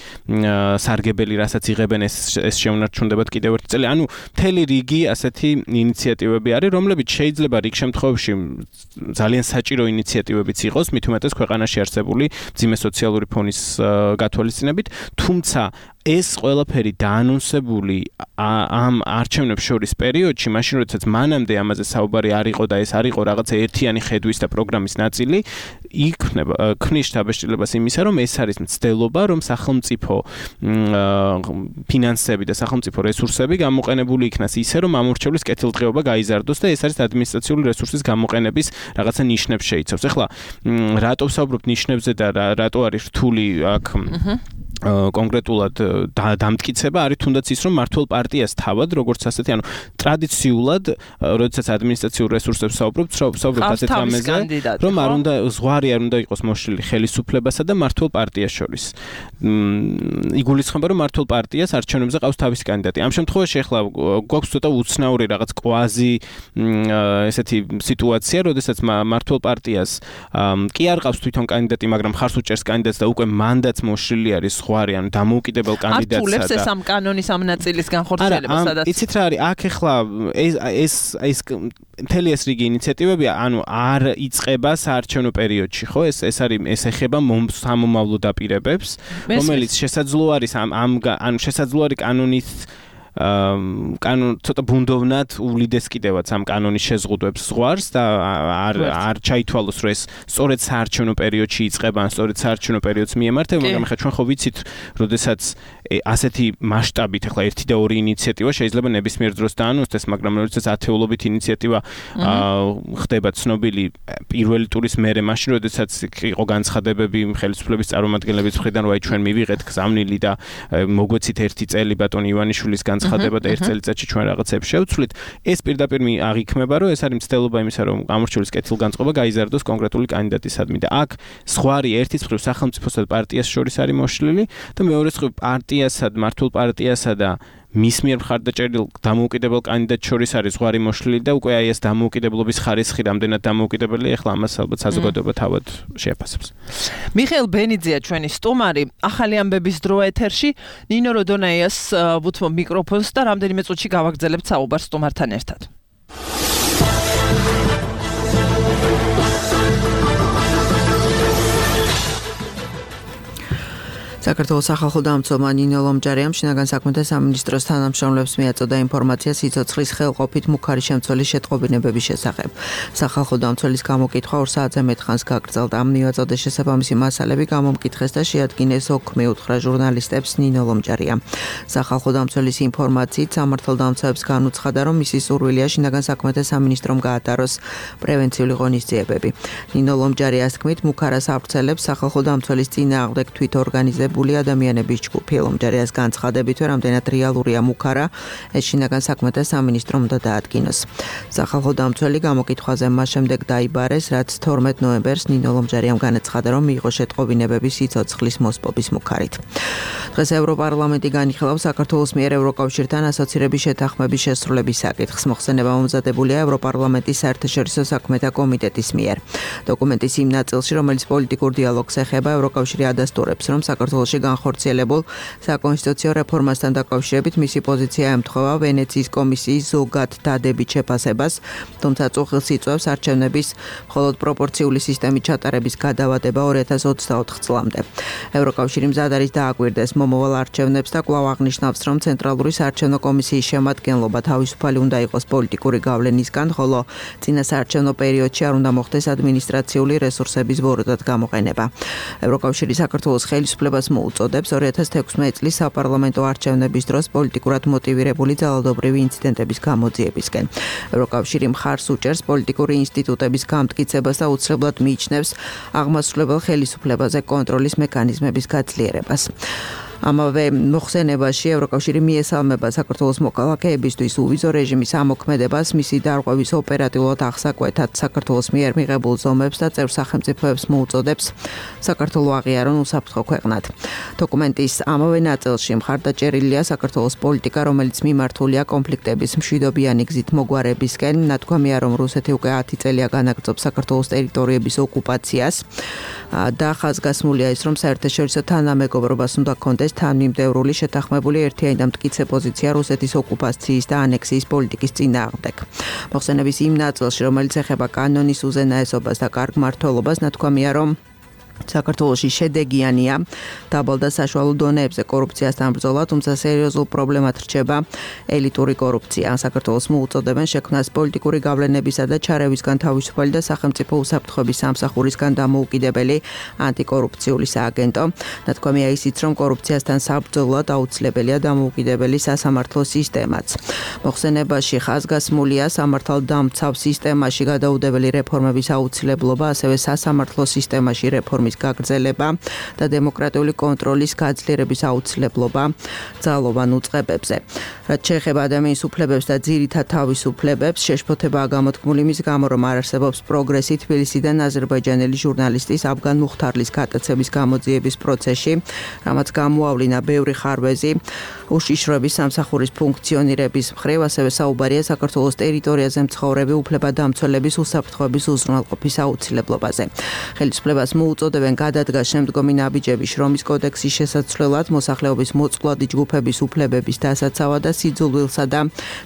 S4: სარგებელი, რასაც იღებენ, ეს შეუნარჩუნდებათ კიდევ 1 წელი. ანუ მთელი რიგი ასეთი ინიციატივები არის, რომლებიც შეიძლება რიგ შემთხვევებში ძალიან საჭირო ინიციატივებიც იყოს, მით უმეტეს ქვეყანაში არსებული მძიმე სოციალური ფონის გათვალისწინებით, თუმცა ეს ყველაფერი დაანონსებული ამ არჩევნებს შორის პერიოდში, მაშინ როდესაც მანამდე ამაზე საუბარი არ იყო და ეს არ იყო რაღაცა ერთიანი ხედვის და პროგრამის ნაწილი, ქმნის შთაბეჭდილებას იმისა, რომ ეს არის მცდელობა, რომ სახელმწიფო ფინანსები და სახელმწიფო რესურსები გამოყენებული იქნას ისე, რომ ამორჩევლის კეთილდღეობა გაიზარდოს და ეს არის ადმინისტრაციული რესურსის გამოყენების რაღაცა ნიშნებს შეიცავს. ეხლა რატო ვსაუბრობთ ნიშნებზე და რატო არის რთული აქ კონკრეტულად დამტკიცება არის თუნდაც ის, რომ მართლ პარტიას თავად, როგორც ასეთი, ანუ ტრადიციულად, როდესაც ადმინისტრაციულ რესურსებს საუბრობთ ასეთ რამეზე, რომ არ უნდა ზღვარი არ უნდა იყოს მოშლილი ხელისუფლებასა და მართლ პარტიას შორის. იგულისხმება, რომ მართლ პარტიას არჩევნებზე ყავს თავისი კანდიდატი. ამ შემთხვევაში ახლა გვაქვს ცოტა უცნაური რაღაც კვაზი ესეთი სიტუაცია, როდესაც მართლ პარტიას კი არ ყავს თვითონ კანდიდატი, მაგრამ ხარს უჭერს კანდიდატს და უკვე მანდატს მოშლილი არის ზღვარი, ანუ დამოუკიდებელ კანდიდატსა და
S2: ართულებს ეს ამ კანონის ამ ნაწილის განხორციელებას, სადაც
S4: იცით რა არის, აქ ახლა ეს მთელი ეს რიგი ინიციატივები, ანუ არ იწყება საარჩევნო პერიოდში, ხო? ეს არის ეს ეხება სამომავლო დაპირებებს, რომელიც შესაძლოა არის ანუ შესაძლოა არის კანონის ცოტა ბუნდოვნად უვლიდეს კიდევაც ამ კანონის შეზღუდვებს ზღვარს და არ ჩაითვალოს, რომ ეს სწორედ საარჩევნო პერიოდში იწყება, ან სწორედ საარჩევნო პერიოდს მიემართება, მაგრამ ახლა ჩვენ ხო ვიცით, როდესაც ასეთი მასშტაბით ახლა 1 და 2 ინიციატივა შეიძლება ნებისმიერ დროს დაანონსდეს, მაგრამ როდესაც ათეულობით ინიციატივა ხდება ცნობილი პირველი ტურის მერე, მაშინ როდესაც იყო განცხადებები ხელისუფლების წარმომადგენლების მხრიდან, რომ აი ჩვენ მივიღეთ გზავნილი და მოგვეცით 1 წელი ბატონ ივანიშვილის განცხადება და 1 წელიწადში ჩვენ რაღაცებს შევცვლით, ეს პირდაპირ აღიქმება, რომ ეს არის მცდელობა იმისა, რომ გამორჩეულის კეთილგანწყობა გაიზარდოს კონკრეტული კანდიდატისადმი და აქ ზღვარი ერთის მხრივ სახელმწიფოსა და პარტიას შორის არის მოშლილი და მეორე მხრივ პარტიასა და მართლ პარტიასა და მის მიერ მხარდაჭერილ დამოუკიდებელ კანდიდატს შორის არის ზღვარი მოშლილი და უკვე აი ეს დამოუკიდებლობის ხარისხი რამდენად დამოუკიდებელი, ახლა ამას ალბათ საზოგადოება თავად შეაფასებს.
S2: მიხეილ ბენიძეა ჩვენი სტუმარი, ახალი ამბების დრო ეთერში, ნინო როდონაიას ვუთმობ მიკროფონს და რამდენიმე წუთში გავაგრძელებთ საუბარს სტუმართან ერთად. საქართველოს სახალხო დამცველმა ნინო ლომჯარიამ შინაგან საქმეთა სამინისტროს თანამშრომლებს მიაწოდა ინფორმაცია სიცოცხლის ხელყოფით მუქარი შემცველის შეტყობინებების შესახებ. სახალხო დამცველის გამოკითხვა 2 საათზე მეტხანს გაგრძელდა. მიაწოდა შესაბამისი მასალები გამომკითხეს და შეადგინეს ოკ მიუთხრა ჟურნალისტებს ნინო ლომჯარიამ. სახალხო დამცველის ინფორმაციით სამართალდამცავებს განუცხადა, რომ მისი სურვილია შინაგან საქმეთა სამინისტრომ გაატაროს პრევენციული ღონისძიებები. ნინო ლომჯარიას თქმით, მუქარას ავრცელებს სახალხო დამცველის წინააღმდეგ თვითორგანიზებული ადამიანების ჯგუფი. ლომჯარიას განცხადებითვე, რამდენად რეალურია მუქარა, ეს შინაგან საქმეთა სამინისტრომ უნდა დაადგინოს. სახალხო დამცველი გამოკითხვაზე მას შემდეგ დაიბარეს, რაც 12 ნოემბერს ნინო ლომჯარიამ განაცხადა, რომ მიიღო შეტყობინებები სიცოცხლის მოსპობის მუქარით. დღეს ევროპარლამენტი განიხილავს საქართველოს მიერ ევროკავშირთან ასოცირების შეთანხმების შესრულების საკითხს. მოხსენება მომზადებულია ევროპარლამენტის საერთაშორისო საქმეთა კომიტეტის მიერ. დოკუმენტის იმ ნაწილში, რომელიც პოლიტიკურ დიალოგს ეხება, ევროკავშირი ადასტურებს, რომ საქართველოში განხორციელებულ საკონსტიტუციო რეფორმასთან დაკავშირებით მისი პოზიცია ემთხვევა ვენეციის კომისიის ზოგად დადებით შეფასებას, თუმცა წუხილს იწვევს არჩევნების მხოლოდ პროპორციული სისტემით ჩატარების გადავადება 2024 წლამდე. ევროკავშირი მზად არის დააკვირდეს მომავალ არჩევნებს და კვლავ აღნიშნავს, რომ ცენტრალური საარჩევნო კომისიის შემადგენლობა თავისუფალი უნდა იყოს პოლიტიკური გავლენისგან, ხოლო წინა საარჩევნო პერიოდში არ უნდა მოხდეს ადმინისტრაციული რესურსების ბოროტად გამოყენება. ევროკავშირი საქართველოს ხელისუფლებას მოუწოდებს 2016 წლის საპარლამენტო არჩევნების დროს პოლიტიკურად მოტივირებული ძალადობრივი ინციდენტების გამოძიებისკენ. ევროკავშირი მხარს უჭერს პოლიტიკური ინსტიტუტების გამტკიცებას და უცვლელად მიიჩნევს აღმასრულებელ ხელისუფლებაზე კონტროლის მექანიზმების გაძლიერებას. ამავე მოხსენებაში ევროკავშირი მიესალმება საქართველოს მოქალაქეებისთვის უვიზო რეჟიმის ამოქმედებას, მისი დარღვევის ოპერატიულად აღსაკვეთად საქართველოს მიერ მიღებულ ზომებს და წევრ სახელმწიფოებს მოუწოდებს საქართველოს აღიარონ უსაფრთხო ქვეყნად. დოკუმენტის ამავე ნაწილში მხარდაჭერილია საქართველოს პოლიტიკა, რომელიც მიმართულია კონფლიქტების მშვიდობიანი გზით მოგვარებისკენ. ნათქვამია, რომ რუსეთი უკვე 10 წელია განაგრძობს საქართველოს ტერიტორიების ოკუპაციას და ხაზგასმულია ის, რომ საერთაშორისო თანამეგობრობას უნდა ჰქონდეს თანმიმდევრული შეთანხმებული ერთიანი და მტკიცე პოზიცია რუსეთის ოკუპაციის და ანექსიის პოლიტიკის წინააღმდეგ. მოხსენების იმ ნაწილში, რომელიც ეხება კანონის უზენაესობას და კარგ მმართველობას, ნათქვამია, რომ
S7: საქართველოში შედეგიანია დაბალ და საშუალო დონეებზე კორუფციასთან ბრძოლა, თუმცა სერიოზულ პრობლემად რჩება ელიტური კორუფცია. საქართველოს მოუწოდებენ შექმნას პოლიტიკური გავლენებისა და ჩარევისგან თავისუფალი და სახელმწიფო უსაფრთხოების სამსახურისგან დამოუკიდებელი ანტიკორუფციული სააგენტო. ნათქვამია ისიც, რომ კორუფციასთან საბრძოლოდ აუცილებელია დამოუკიდებელი სასამართლო სისტემაც. მოხსენებაში ხაზგასმულია სამართალდამცავ სისტემაში გადაუდებელი რეფორმების აუცილებლობა, ასევე სასამართლო სისტემაში რეფორმის გაგრძელება და დემოკრატიული კონტროლის გაძლიერების აუცილებლობა ძალოვან უწყებებზე. რაც შეეხება ადამიანის უფლებებს და ძირითად თავისუფლებებს, შეშფოთებაა გამოთქმული მის გამო, რომ არ არსებობს პროგრესი თბილისიდან აზერბაიჯანელი ჟურნალისტის აფგან მუხთარლის გატაცების გამოძიების პროცესში, რამაც გამოავლინა ბევრი ხარვეზი უშიშროების სამსახურის ფუნქციონირების მხრივ, ასევე საუბარია საქართველოს ტერიტორიაზე მცხოვრები უფლებადამცველების უსაფრთხოების უზრუნველყოფის აუცილებლობაზე. ხელისუფლებას მოუწოდებენ გადადგას შემდგომი ნაბიჯები შრომის კოდექსის შესაცვლელად, მოსახლეობის მოწყვლადი ჯგუფების უფლებების დასაცავად და სიძულვილსა და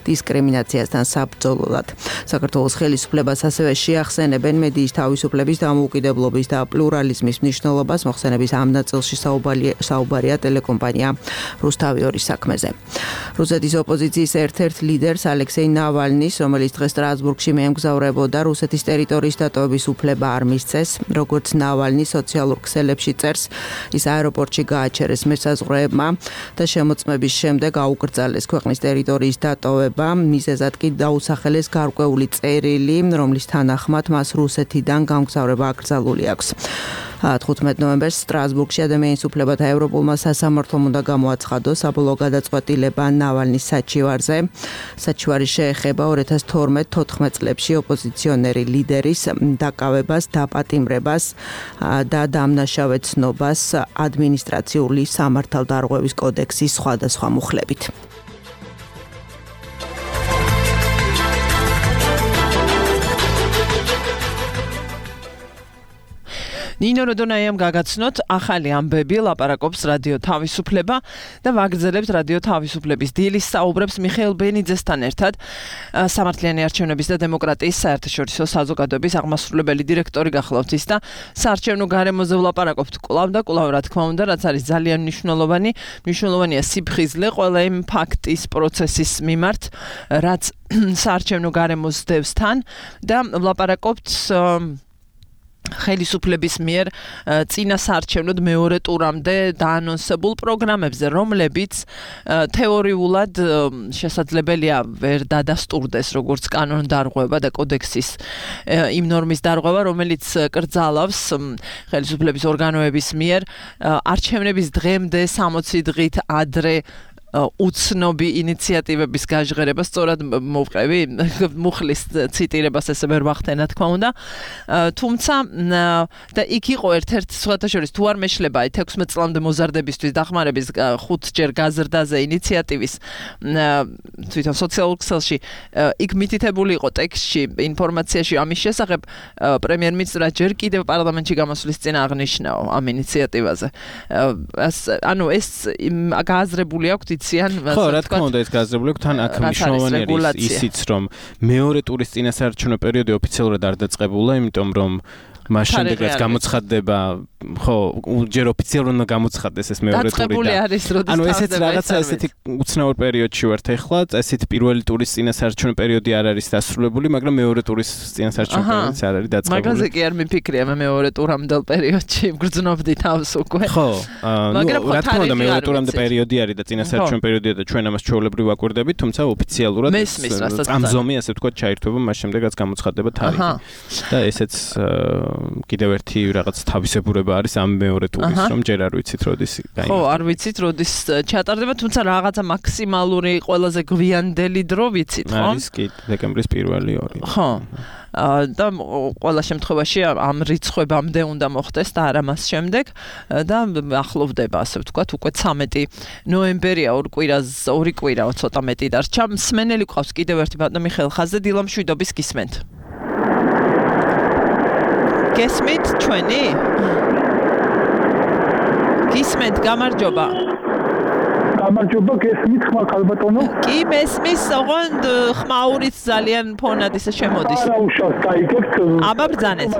S7: დისკრიმინაციასთან საბრძოლოდ. საქართველოს ხელისუფლებას ასევე შეახსენებენ მედიის თავისუფლების დამოუკიდებლობის და პლურალიზმის მნიშვნელობას. მოხსენების ამ ნაწილში საუბარია ტელეკომპანია რუსთავიორის საქმეზე. რუსეთის ოპოზიციის ერთ-ერთ ლიდერს ალექსეი ნავალნის, რომელიც დღეს სტრასბურგში მიემგზავრებოდა, რუსეთის ტერიტორიის დატოვების უფლება არ მისცეს. როგორც ნავალნი სოციალურ ქსელებში წერს, ის აეროპორტში გააჩერეს მესაზღვრეებმა და შემოწმების შემდეგ აუკრძალეს ქვეყნის ტერიტორიის დატოვება. მიზეზად კი დაუსახელეს გარკვეული წერილი, რომლის თანახმად მას რუსეთიდან გამგზავრება აკრძალული აქვს. 15 ნოემბერს სტრასბურგში ადამიანის უფლებათა ევროპულმა სასამართლომ უნდა გამოაცხადოს საბოლოო გადაწყვეტილება ნავალნის საჩივარზე. საჩივარი შეეხება 2012-14 წლებში ოპოზიციონერი ლიდერის დაკავებას, დაპატიმრებას და დამნაშავეცნობას ადმინისტრაციული სამართალდარღვევის კოდექსის სხვადასხვა მუხლებით.
S2: ნინო როდონაიამ გაგაცნოთ ახალი ამბები, ლაპარაკობს რადიო თავისუფლება და ვაგრძელებთ რადიო თავისუფლების დილის საუბრებს მიხეილ ბენიძესთან ერთად. სამართლიანი არჩევნების და დემოკრატიის საერთაშორისო საზოგადოების აღმასრულებელი დირექტორი გახლავთ ის და საარჩევნო გარემოზე ვლაპარაკობთ კვლავ და კვლავ, რა თქმა უნდა, რაც არის ძალიან მნიშვნელოვანია სიფხიზლე ყველა იმ ფაქტის პროცესის მიმართ, რაც საარჩევნო გარემოს დევს თან და ვლაპარაკობთ ხელისუფლების მიერ წინა საარჩევნოდ მეორე ტურამდე დაანონსებულ პროგრამებზე, რომლებიც თეორიულად შესაძლებელია ვერ დადასტურდეს როგორც კანონდარღვევა და კოდექსის იმ ნორმის დარღვევა, რომელიც კრძალავს ხელისუფლების ორგანოების მიერ არჩევნების დღემდე 60 დღით ადრე უცნობი ინიციატივების გაჟღერება, სწორად მოვყევი მუხლის ციტირებას ესე ვერ ვახდენა თქმა უნდა. თუმცა და იქ იყო ერთ-ერთ სხვათა შორის თუ არ მეშლება 16 წლამდე მოზარდებისთვის დახმარების 5 ჯერ გაზრდაზე ინიციატივის თვითონ სოციალურ ქსელში იქ მითითებული იყო ტექსტში ინფორმაციაში ამის შესახებ პრემიერ-მინისტრმა ჯერ კიდევ პარლამენტში გამოსვლის წინ აღნიშნაო ამ ინიციატივაზე. ანუ ეს გააზრებული აქვს
S4: ხო, რა თქმა უნდა, ეს გააზრებული აქვს, თან აქ მნიშვნელოვანი არის ისიც, რომ მეორე ტურის წინასაარჩევნო პერიოდი ოფიციალურად არ დაწყებულა, იმიტომ რომ მას შემდეგ რაც გამოცხადდება, ხო, ჯერ ოფიციალურად უნდა გამოცხადდეს ეს მეორე ტური და ანუ ესეც რაღაცა ესეთი უცნაურ პერიოდში ვართ ახლა, ესეთი პირველი ტურის წინასაარჩევნო პერიოდი არ არის დასრულებული, მაგრამ მეორე ტურის წინასაარჩევნო პერიოდიც არ არის დაწყებული.
S2: მაგაზე კი არ მიფიქრია მე მეორე ტურამდელ პერიოდში გრძნობდი თავს უკვე.
S4: ხო, რა თქმა უნდა მეორე ტურამდე პერიოდი არის და წინასაარჩევნო პერიოდია და ჩვენ ამას ჩვეულებრივ ვაკვირდებით, თუმცა ოფიციალურად ამ ზომი ასე ვთქვათ ჩაირთვება მას შემდეგ რაც გამოცხადდება თარიღი. და ესეც კიდევ ერთი რაღაც თავისებურება არის ამ მეორე ტურის, რომ ჯერ არ ვიცით როდის გაიმართება.
S2: ხო, არ ვიცით როდის ჩატარდება, თუმცა რაღაცა მაქსიმალური ყველაზე გვიანდელი დრო ვიცით, ხო?
S4: არის კი დეკემბრის 1-2.
S2: ხო. და ყველა შემთხვევაში ამ რიცხვებამდე უნდა მოხდეს და არა მას შემდეგ და ახლოვდება, ასე ვთქვათ, უკვე 13 ნოემბერია, ორი კვირა ცოტა მეტი დარჩა. მსმენელი გვყავს კიდევ ერთი ბატონი მიხეილ ხაზზე, დილამშვიდობის გისმენთ. გესმით ჩვენი? გისმენთ, გამარჯობა.
S8: გამარჯობა, გესმით ხმა ქალბატონო?
S2: კი, მესმის, ოღონდ ხმაურიც ძალიან ფონად ისე შემოდის.
S8: არა უშავს გაიგებთ.
S2: აბა ბრძანეთ.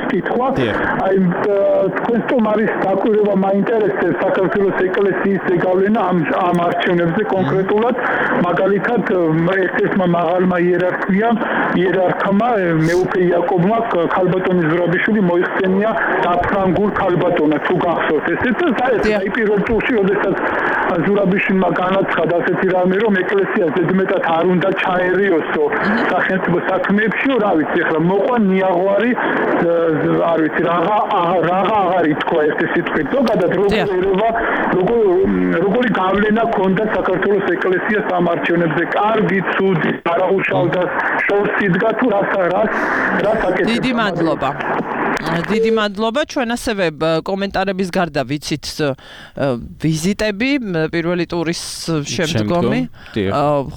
S8: კითხვა. აი თქვენ სტუმარის დაკვირვება მაინტერესებს საქართველოს ეკლესიის ზეგავლენა ამ არჩევნებზე კონკრეტულად, მაგალითად ერთ-ერთმა მაღალმა იერარქმა მეუფე იაკობმა ქალბატონის ზურაბიშვილი მოიხსენია დაფრანგულ ქალბატონად თუ გახსოვთ ესეც აი პირველ ტურში როდესაც ზურაბიშვილმა განაცხადა ასეთი რამე რომ ეკლესია ზედმეტად არ უნდა ჩაერიოსო სახელმწიფო საქმეებში რა ვიცი ახლა მოყვა ნიაღვარი არ ვიცი რაღა აღარ ითქვა ერთი სიტყვით ზოგადად როგორი გავლენა ქონდა საქართველოს ეკლესიას ამ არჩევნებზე კარგი ცუდი არაუშავდა შორს იდგა თუ რას აკეთებს დიდი მადლობა ჩვენ ასევე კომენტარების გარდა ვიცით ვიზიტები პირველი ტურის შემდგომი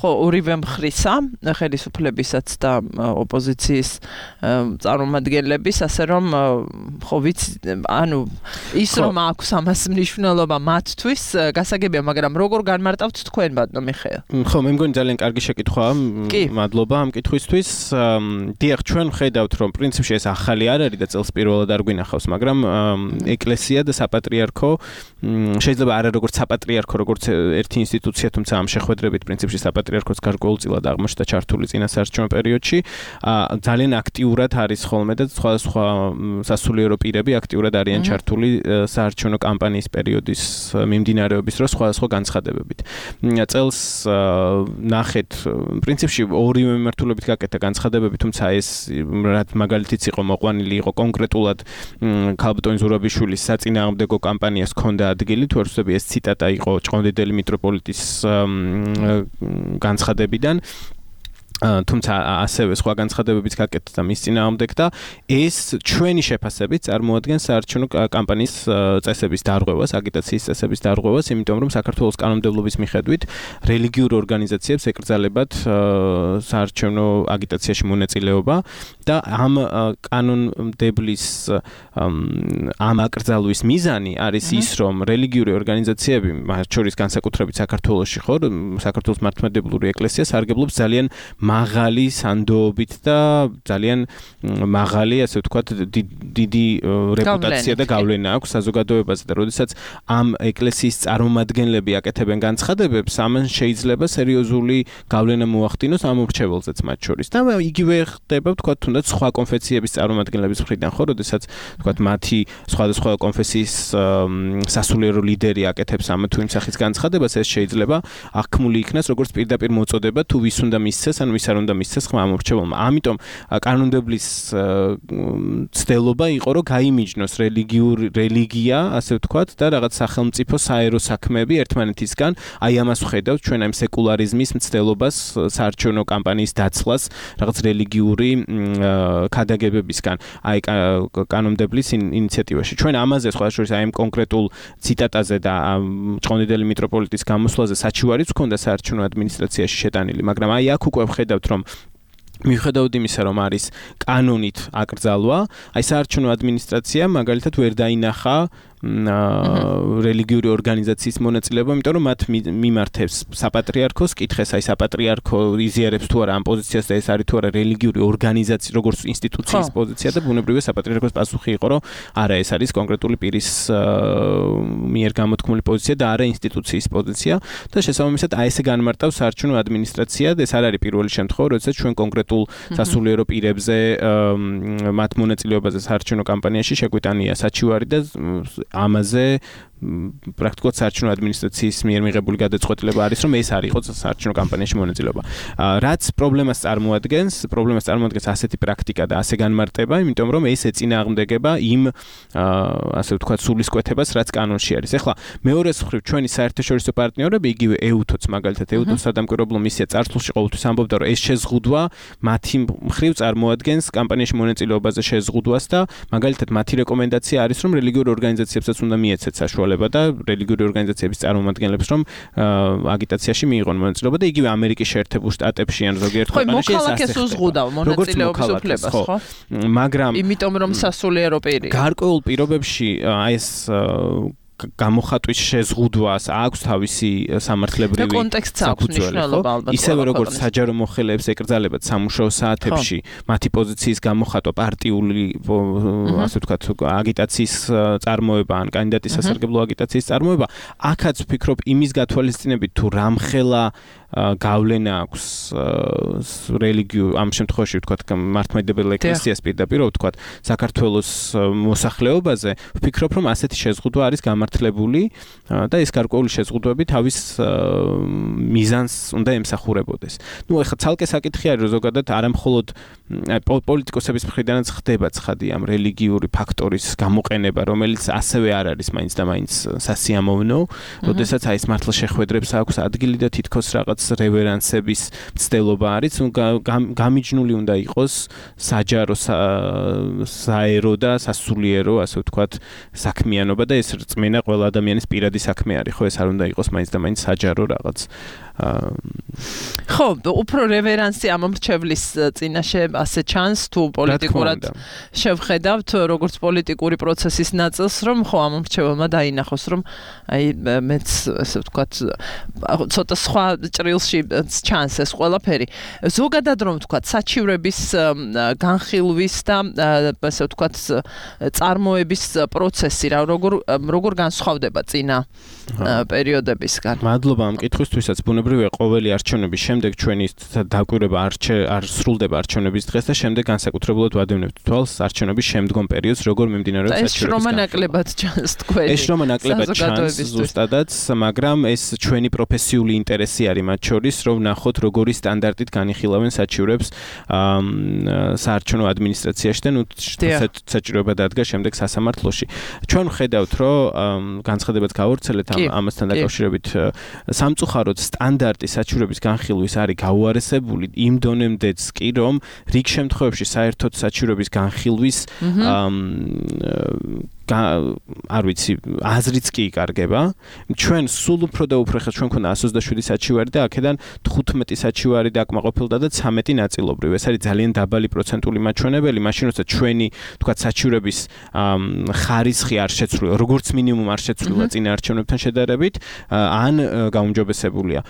S8: ხო ორივე მხრისა ხელისუფლებისაც და ოპოზიციის წარმომადგენლების ასე რომ ხო ვიცი ანუ ის რომ აქვს ამას მნიშვნელობა მათთვის გასაგებია მაგრამ როგორ განმარტავთ თქვენ ბატონო მიხეილ
S4: ხო მე მგონი ძალიან კარგი შეკითხვაა მადლობა ამ კითხვისთვის დიახ ჩვენ ხედავთ რომ პრინციპში ეს ახალი არ არის და წელს პირველად არ გვინახავს მაგრამ ეკლესია და საპატრიარქო შეიძლება არა როგორც საპატრიარქო როგორც ერთი ინსტიტუცია თუმცა ამ შეხვედრებით პრინციპში საპატრიარქოს გარკვეულწილად აღმოჩნდა ჩართული წინასაარჩევნო პერიოდში ძალიან აქტიურად არის ხოლმე და სხვა სასულიერო პირები აქტიურად არიან ჩართული საარჩევნო კამპანიის პერიოდის მიმდინარეობის დროს სხვადასხვა განცხადებებით წელს ნახეთ პრინციპში ორივე მიმართულებით გაკეთა განცხადებები თუმცა ეს მაგალითიც იყო მოყვანილი იყო კონკრეტულად ქალბატონ ზურაბიშვილის საწინააღმდეგო კამპანიას ჰქონდა ადგილი თუ არ ვცდები ეს ციტატა იყო ჭყონდიდელი მიტროპოლიტის განცხადებიდან თუმცა ასევე სხვა განცხადებებიც გაკეთდა მის წინააღმდეგ და ეს ჩვენი შეფასებით წარმოადგენს საარჩევნო კამპანიის წესების დარღვევას, აგიტაციის წესების დარღვევას, იმიტომ რომ საქართველოს კანონმდებლობის მიხედვით რელიგიურ ორგანიზაციებს ეკრძალებათ საარჩევნო აგიტაციაში მონაწილეობა და ამ კანონმდებლის ამ აკრძალვის მიზანი არის ის, რომ რელიგიური ორგანიზაციები, მათ შორის განსაკუთრებით საქართველოში ხო, საქართველოს მართლმადიდებლური ეკლესია სარგებლობს ძალიან მაღალი სანდოობით და ძალიან მაღალი, ასე ვთქვათ, დიდი რეპუტაცია და გავლენა აქვს საზოგადოებაზე და როდესაც ამ ეკლესიის წარმომადგენლები აკეთებენ განცხადებებს, ამან შეიძლება სერიოზული გავლენა მოახდინოს ამ ურჩეველზეც მათ შორის. და იგივე ხდება, ვთქვათ, თუნდაც სხვა კონფესიების წარმომადგენლების მხრიდან, ხო, როდესაც, ვთქვათ, მათი სხვადასხვა კონფესიის სასულიერო ლიდერი აკეთებს ამ თუ იმ სახის განცხადებას, ეს შეიძლება აღქმული იქნას როგორც პირდაპირ მოწოდება თუ ვის უნდა მისცეს, ანუ ვის არ უნდა მისცეს ხმა ამ ურჩეველმა. ამიტომ კანონმდებლის ცდელობა იყო, რომ გაიმიჯნოს რელიგია, ასე ვთქვათ, და რაღაც სახელმწიფო საერო საქმეები ერთმანეთისგან, აი ამას ვხედავთ ჩვენ ამ სეკულარიზმის მცდელობას, საარჩევნო კამპანიის დაცლას, რაღაც რელიგიური ქადაგებებისგან, აი კანონმდებლის ინიციატივაში. ჩვენ ამაზე სხვა შორის აი ამ კონკრეტულ ციტატაზე და ჭყონდიდელი მიტროპოლიტის გამოსვლაზე საჩივარიც ჰქონდა საარჩევნო ადმინისტრაციაში შეტანილი, მაგრამ აი აქ უკვე ვხედავთ რომ მიუხედავად იმისა, რომ არის კანონით აკრძალვა, აი საარჩევნო ადმინისტრაცია მაგალითად ვერ დაინახა რელიგიური ორგანიზაციის მონაწილეობა, იმიტომ რომ მათ მიმართებს საპატრიარქოს, კითხეს აი საპატრიარქო იზიარებს თუ არა ამ პოზიციას და ეს არის თუ არა რელიგიური ორგანიზაცია, როგორც ინსტიტუციის პოზიცია და ბუნებრივია საპატრიარქოს პასუხი იყო, რომ არა ეს არის კონკრეტული პირის მიერ გამოთქმული პოზიცია და არა ინსტიტუციის პოზიცია და შესაბამისად აი ესე განმარტავს საარჩევნო ადმინისტრაცია და ეს არ არის პირველი შემთხვევა, როდესაც ჩვენ კონკრეტულ სასულიერო პირებზე მათ მონაწილეობაზე საარჩევნო კამპანიაში შეგვიტანია საჩივარი და ამაზე პრაქტიკულად საარჩევნო ადმინისტრაციის მიერ მიღებული გადაწყვეტილება არის, რომ ეს არ იყოს საარჩევნო კამპანიაში მონაწილეობა. რაც პრობლემას წარმოადგენს ასეთი პრაქტიკა და ასე განმარტება, იმიტომ რომ ეს ეწინააღმდეგება იმ ასე ვთქვათ სულისკვეთებას, რაც კანონში არის. ეხლა მეორეს მხრივ ჩვენი საერთაშორისო პარტნიორები, იგივე EUTO-ც მაგალითად EUTO-ს სადამკვირვებლო მისია წარსულში ყოველთვის ამბობდა, რომ ეს შეზღუდვა მათი მხრივ წარმოადგენს კამპანიაში მონაწილეობაზე შეზღუდვას და მაგალითად მათი რეკომენდაცია არის, რომ რელიგიურ ორგანიზაციებსაც უნდა მიეცეთ საშუალება და რელიგიური ორგანიზაციების წარმომადგენლებს რომ აგიტაციაში მიიღონ მონაწილეობა და იგივე ამერიკის შეერთებულ შტატებში ან ზოგიერთ ქვეყანაში ეს
S2: მოქალაქეს უზღუდავ მონაწილეობის უფლებას, ხო?
S4: მაგრამ
S2: იმიტომ რომ სასულიერო პირი.
S4: გარკვეულ პირობებში აი ეს გამოხატვის შეზღუდვას აქვს თავისი სამართლებრივი საფუძველი. ისევე როგორც საჯარო მოხელეებს ეკრძალებათ სამუშაო საათებში მათი პოზიციის გამოხატვა პარტიული ასე ვთქვათ აგიტაციის წარმოება ან კანდიდატის სასარგებლო აგიტაციის წარმოება, აქაც ვფიქრობ იმის გათვალისწინებით თუ რამხელა გავლენა აქვს რელიგიურ ამ შემთხვევაში ვთქვათ მართლმადიდებელ ეკლესიას პირდაპირ ვთქვათ საქართველოს მოსახლეობაზე, ვფიქრობ რომ ასეთი შეზღუდვა არის გამართლებული და ეს გარკვეული შეზღუდვები თავის მიზანს უნდა ემსახურებოდეს. ნუ ეხლა ცალკე საკითხი არის რომ ზოგადად არამხოლოდ პოლიტიკოსების მხრიდანაც ხდება ცხადი ამ რელიგიური ფაქტორის გამოყენება, რომელიც ასევე არ არის მაინც და მაინც სასიამოვნო, როდესაც აი ეს მართლა შეხვედრებს აქვს ადგილი და თითქოს რაღაც რევერანსების მცდელობა არის, გამიჯნული უნდა იყოს საჯარო საერო და სასულიერო, ასე ვთქვათ, საქმიანობა და ეს რწმენა ყველა ადამიანის პირადი საქმე არის, ხო, ეს არ უნდა იყოს მაინც და მაინც საჯარო რაღაც.
S2: ხო, უფრო რევერანსი ამ მრჩევლის წინაშე ასე ჩანს თუ პოლიტიკურად შევხედავთ როგორც პოლიტიკური პროცესის ნაწილს, რომ ხო ამ მრჩეველმა დაინახოს, რომ აი მეც ასე ვთქვათ ცოტა სხვა ჭრილში ჩანს ეს ყველაფერი. ზოგადად რომ ვთქვათ საჩივრების განხილვის და ასე ვთქვათ წარმოების პროცესი როგორ განსხვავდება წინა პერიოდებისგან.
S4: მადლობა ამ კითხვისთვისაც. ბუნებრივია ყოველი არჩევნების შემდეგ ჩვენი დაკვირვება არ სრულდება არჩევნების დღეს და შემდეგ განსაკუთრებულად ვადევნებთ თვალს არჩევნების შემდგომ პერიოდს, როგორ მიმდინარეობს საჩივრების
S2: ეს შრომა ნაკლებად ჩანს თქვენი.
S4: ეს შრომა ნაკლებად ჩანს ზუსტადაც, მაგრამ ეს ჩვენი პროფესიული ინტერესი არის მათ შორის, რომ ვნახოთ როგორი სტანდარტით განიხილავენ საჩივრებს საარჩევნო ადმინისტრაციაში და ნუ საჭიროება დადგა შემდეგ სასამართლოში. ჩვენ ვხედავთ, რომ განცხადებაც გავავრცელეთ ამასთან დაკავშირებით სამწუხაროდ სტანდარტი საჩივრების განხილვის არის გაუარესებული იმ დონემდეც კი, რომ რიგ შემთხვევებში საერთოდ საჩივრების განხილვის არ ვიცი, აზრიც კი იკარგება. ჩვენ სულ უფრო და უფრო ხა ჩვენ ქონდა 127 საჩივარი და აქედან 15 საჩივარი დაკმაყოფილდა და 13 ნაწილობრივ. ეს არის ძალიან დაბალი პროცენტული მაჩვენებელი, მაშინ როცა ჩვენი თქვათ საჩივრების ხარისხი არ შეცვლილა, როგორც მინიმუმ არ შეცვლილა წინა არჩევნებთან შედარებით, ან გაუმჯობესებულია.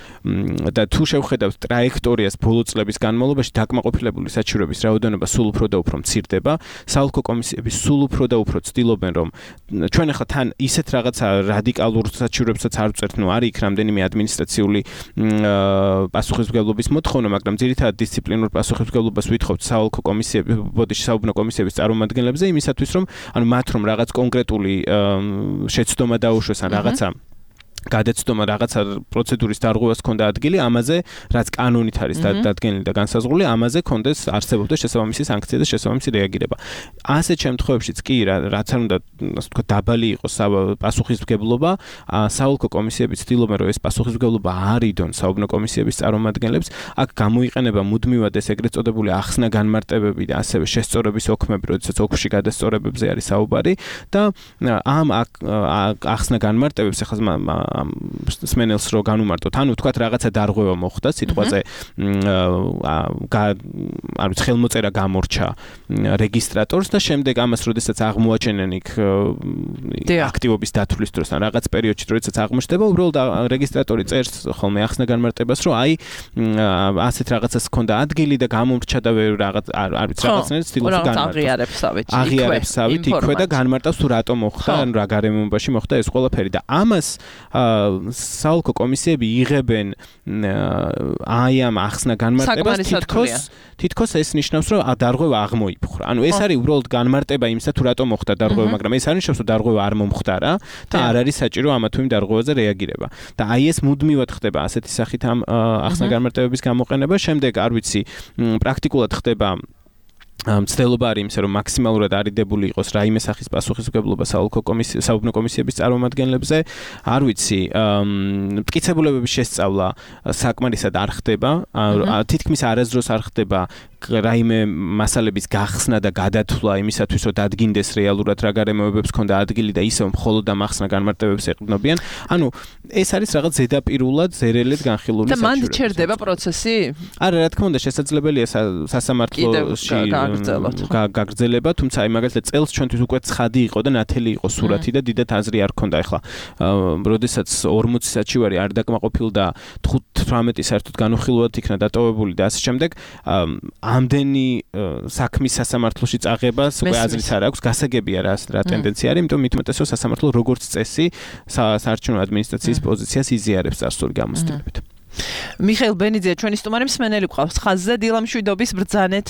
S4: და თუ შევხედავთ ტრაექტორიას ბოლო წლების განმავლობაში, დაკმაყოფილებული საჩივრების რაოდენობა სულ უფრო და უფრო მცირდება. საოლქო კომისიები სულ უფრო და უფრო ცდილობენ, რომ ჩვენ ახლა თან ისეთ რაღაცა რადიკალურ საჩივრებსაც არ ვწერთ, ნუ არის იქ რამდენიმე ადმინისტრაციული პასუხისმგებლობის მოთხოვნა, მაგრამ ძირითადად დისციპლინურ პასუხისმგებლობას ვითხოვთ საოლქო კომისიების, ბოდიში საუბნო კომისიების წარმომადგენლებზე, იმისათვის რომ ანუ მათ რომ რაღაც კონკრეტული შეცდომა დაუშვეს ან რაღაცა გადაცდომა რაღაცა პროცედურის დარღვევას ქონდა ადგილი, ამაზე რაც კანონით არის დადგენილი და განსაზღვრული, ამაზე კონდეს არსებობდეს შესაბამისი სანქცია და შესაბამისი რეაგირება. ასეთ შემთხვევებშიც კი რაც არ უნდა ასე ვთქვათ დაბალი იყოს პასუხისმგებლობა, საოლქო კომისიები ცდილობენ რომ ეს პასუხისმგებლობა არიდონ საუბნო კომისიების წარმომადგენლებს, აქ გამოიყენება მუდმივად ეს ეგრეთ წოდებული ახსნა განმარტებები და ასევე შესწორების ოქმები, როდესაც ოქში გადასწორებებზე არის საუბარი და ამ ახსნა განმარტებებს ახლა სმენელს რო განუმარტოთ, ანუ თქვათ რაღაცა დარღვევა მოხდა სიტყვაზე, არ ვიცი, ხელმოწერა გამორჩა რეგისტრატორს და შემდეგ ამას როდესაც აღმოაჩენენ იქ აქტივობის დათვლის დროს ან რაღაც პერიოდში როდესაც აღმოჩნდება, უბრალოდ რეგისტრატორი წერს ხოლმე ახსნა განმარტებას, რომ აი ასეთ რაღაცას ჰქონდა ადგილი და გამომრჩა და რაღაც არ ვიცი რაღაცნაირად ცდილობს განმარტოს. აღიარებსავით იქვე და განმარტავს თუ რატომ მოხდა, ან რა გარემოებაში მოხდა ეს ყველაფერი და ამას საოლქო კომისიები იღებენ აი ამ ახსნა განმარტებას თითქოს ეს ნიშნავს რომ დარღვევა აღმოიფხვრა. ანუ ეს არის უბრალოდ განმარტება იმისა თუ რატომ მოხდა დარღვევა, მაგრამ ეს არ ნიშნავს რომ დარღვევა არ მომხდარა და არ არის საჭირო ამა თუ იმ დარღვევაზე რეაგირება. და აი ეს მუდმივად ხდება ასეთი სახით ამ ახსნა განმარტებების გამოყენება. შემდეგ არ ვიცი, პრაქტიკულად ხდება მცდელობა არის იმისა, რომ მაქსიმალურად არიდებული იყოს რაიმე სახის პასუხისმგებლობა საუბნო კომისიების წარმომადგენლებზე. არ ვიცი, მტკიცებულებების შესწავლა საკმარისად არ ხდება, თითქმის არასდროს არ ხდება რაიმე მასალების გახსნა და გადათვლა იმისათვის, რომ დადგინდეს რეალურად რა გარემოებებს ქონდა ადგილი და ისევ მხოლოდ და მახსნა განმარტებებს ეყრდნობიან. ანუ ეს არის რაღაც ზედაპირულად ზერელედ განხილული საჭიროება. და
S2: მანდ ჩერდება პროცესი?
S4: არა, რა თქმა უნდა, შესაძლებელია სასამართლოში გაგრძელება, თუმცა აი მაგალითად წელს ჩვენთვის უკვე ცხადი იყო და ნათელი იყო სურათი და დიდად აზრი არ ქონდა ახლა. როდესაც 40 საჩივარი არ დაკმაყოფილდა 15 საერთოდ განუხილვად იქნა დატოვებული და ასე შემდეგ, ამდენი საქმის სასამართლოში წაღებას უკვე აზრიც არ აქვს, გასაგებია რა ტენდენცია არის, იმიტომ მithumetes რომ სასამართლო როგორც წესი საარჩევნო ადმინისტრაციის პოზიციას იზიარებს წარსული გამოცდილებით.
S2: მიხეილ ბენიძე, ჩვენი სტუმარი მსმენელი გვყავს ხაზზე, დილა მშვიდობის ბრძანეთ.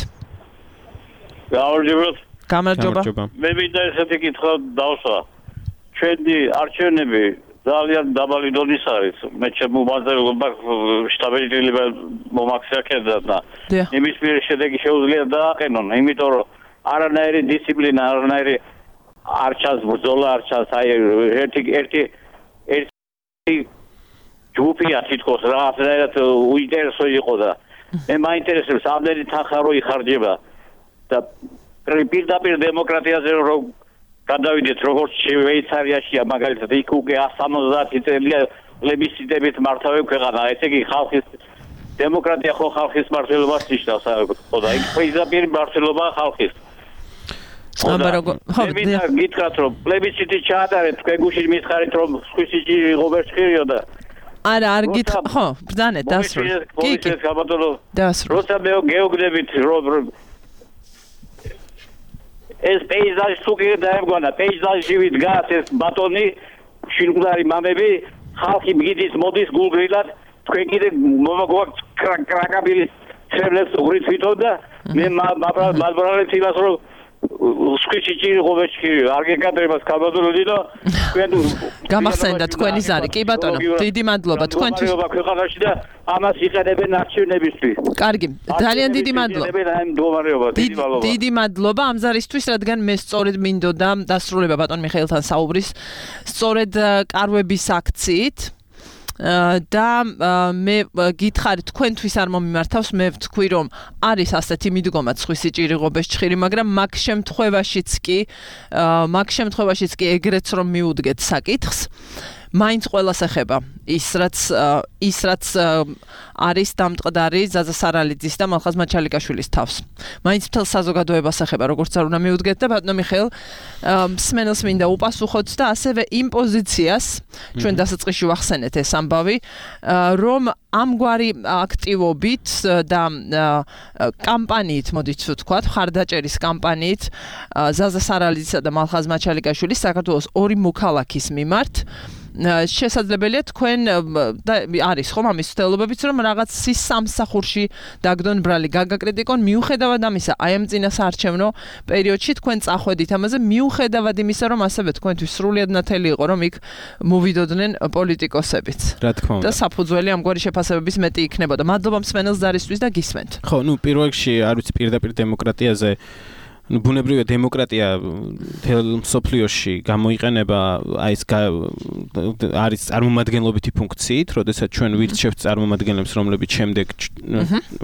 S2: გამარჯობა.
S9: მე მინდა ესეთი კითხვა დავსვა. ჩვენი არჩევნები ძალიან დაბალი დონის არის. მე ჩემმოაზე შტაბ-ეტილება მომაქცია და იმის მიერ შედეგი შეუძლია დააყენონ, იმიტომ რომ არანაირი დისციპლინა, არანაირი არ ჩანს ბრძოლა, არ ჩანს აი ერთი ჯგუფია თითქოს რაღაცნაირად უინტერესო იყო და მე მაინტერესებს ამდენი თანხა რო იხარჯება და პირდაპირ დემოკრატიაზე რომ გადავიდეთ როგორც შვეიცარიაშია მაგალითად იქ უკვე 170 წელია პლებისციტებით მართავენ ქვეყანა ესე იგი ხალხის დემოკრატია ხო ხალხის მართლობას ნიშნავს ხო და იქ პირდაპირ მართლობა ხალხის მე გითხრათ რომ პლებისციტი ჩაატარეთ თქვენ მითხარით რომ სხვისი ღობერჩხირიო და
S2: არა არ გითხრა ხო ბრძანეთ დასრულე
S9: კი როცა მე გეოგდებით რომ ეს პეიზაჟი სუგი დაემგონა პეიზაჟი ვიდგას ეს ბატონი შინგლარი მამები ხალხი მგიდის მოდის გულგრილად თქვენ კიდე მომაგვაქვს კრაკაბილი ცრემლებს უღრით თვითონ და მე მალბრალებს იმას რომ სკიცი ღობეჩქირი არ გეკადრებას კაბადოლოდი და თქვენ
S2: გამახსენდა თქვენი ზარი კი ბატონო დიდი მადლობა თქვენთვის
S9: ქვეყანაში და ამას იყენებენ არჩევნებისთვის
S2: კარგი ძალიან დიდი მადლობა დიდი მადლობა ამ ზარისთვის რადგან მე სწორედ მინდოდა დასრულება ბატონ მიხეილთან საუბრის სწორედ კარვების აქციით და მე გითხარით თქვენთვის არ მომიმართავს მე ვთქვი რომ არის ასეთი მიდგომა სხვისი ჭირიღობეს ჭხირი მაგრამ მაგ შემთხვევაშიც კი ეგრეც რომ მიუდგეთ საკითხს მაინც ყველას ეხება ის რაც არის დამტყდარი ზაზა სარალიძის და მალხაზ მაჩალიკაშვილის თავს მაინც მთელ საზოგადოებას ეხება როგორც არ უნდა მიუდგეთ და ბატონო მიხეილ მსმენელს მინდა უპასუხოთ და ასევე იმ პოზიციას ჩვენ დასაწყისში ვახსენეთ ეს ამბავი რომ ამგვარი აქტივობით და კამპანიით მოდით ვთქვათ ხარდაჭერის კამპანიით ზაზა სარალიძისა და მალხაზ მაჩალიკაშვილის საქართველოს ორი მოქალაქის მიმართ შესაძლებელია თქვენ და არის ხომ ამის ცდელობებიც რომ რაღაც სამსახურში დაგდონ ბრალი გაგაკრიტიკონ მიუხედავად ამისა აი ამ წინა საარჩევნო პერიოდში თქვენ წახვედით ამაზე მიუხედავად იმისა რომ ასევე თქვენთვის სრულიად ნათელი იყო რომ იქ მოვიდოდნენ პოლიტიკოსებიც
S4: რა თქმა უნდა
S2: და საფუძველი ამგვარი შეფასებების მეტი იქნებოდა მადლობა მსმენელს ზარისთვის და გისმენთ
S4: ხო ნუ პირველ რიგში არ ვიცი პირდაპირ დემოკრატიაზე ну ბუნებრივია დემოკრატია თელ სოფლიოში გამოიყენება აი ეს არის წარმომადგენლობითი ფუნქციით, როდესაც ჩვენ ვირჩევთ წარმომადგენლებს, რომლებიც შემდეგ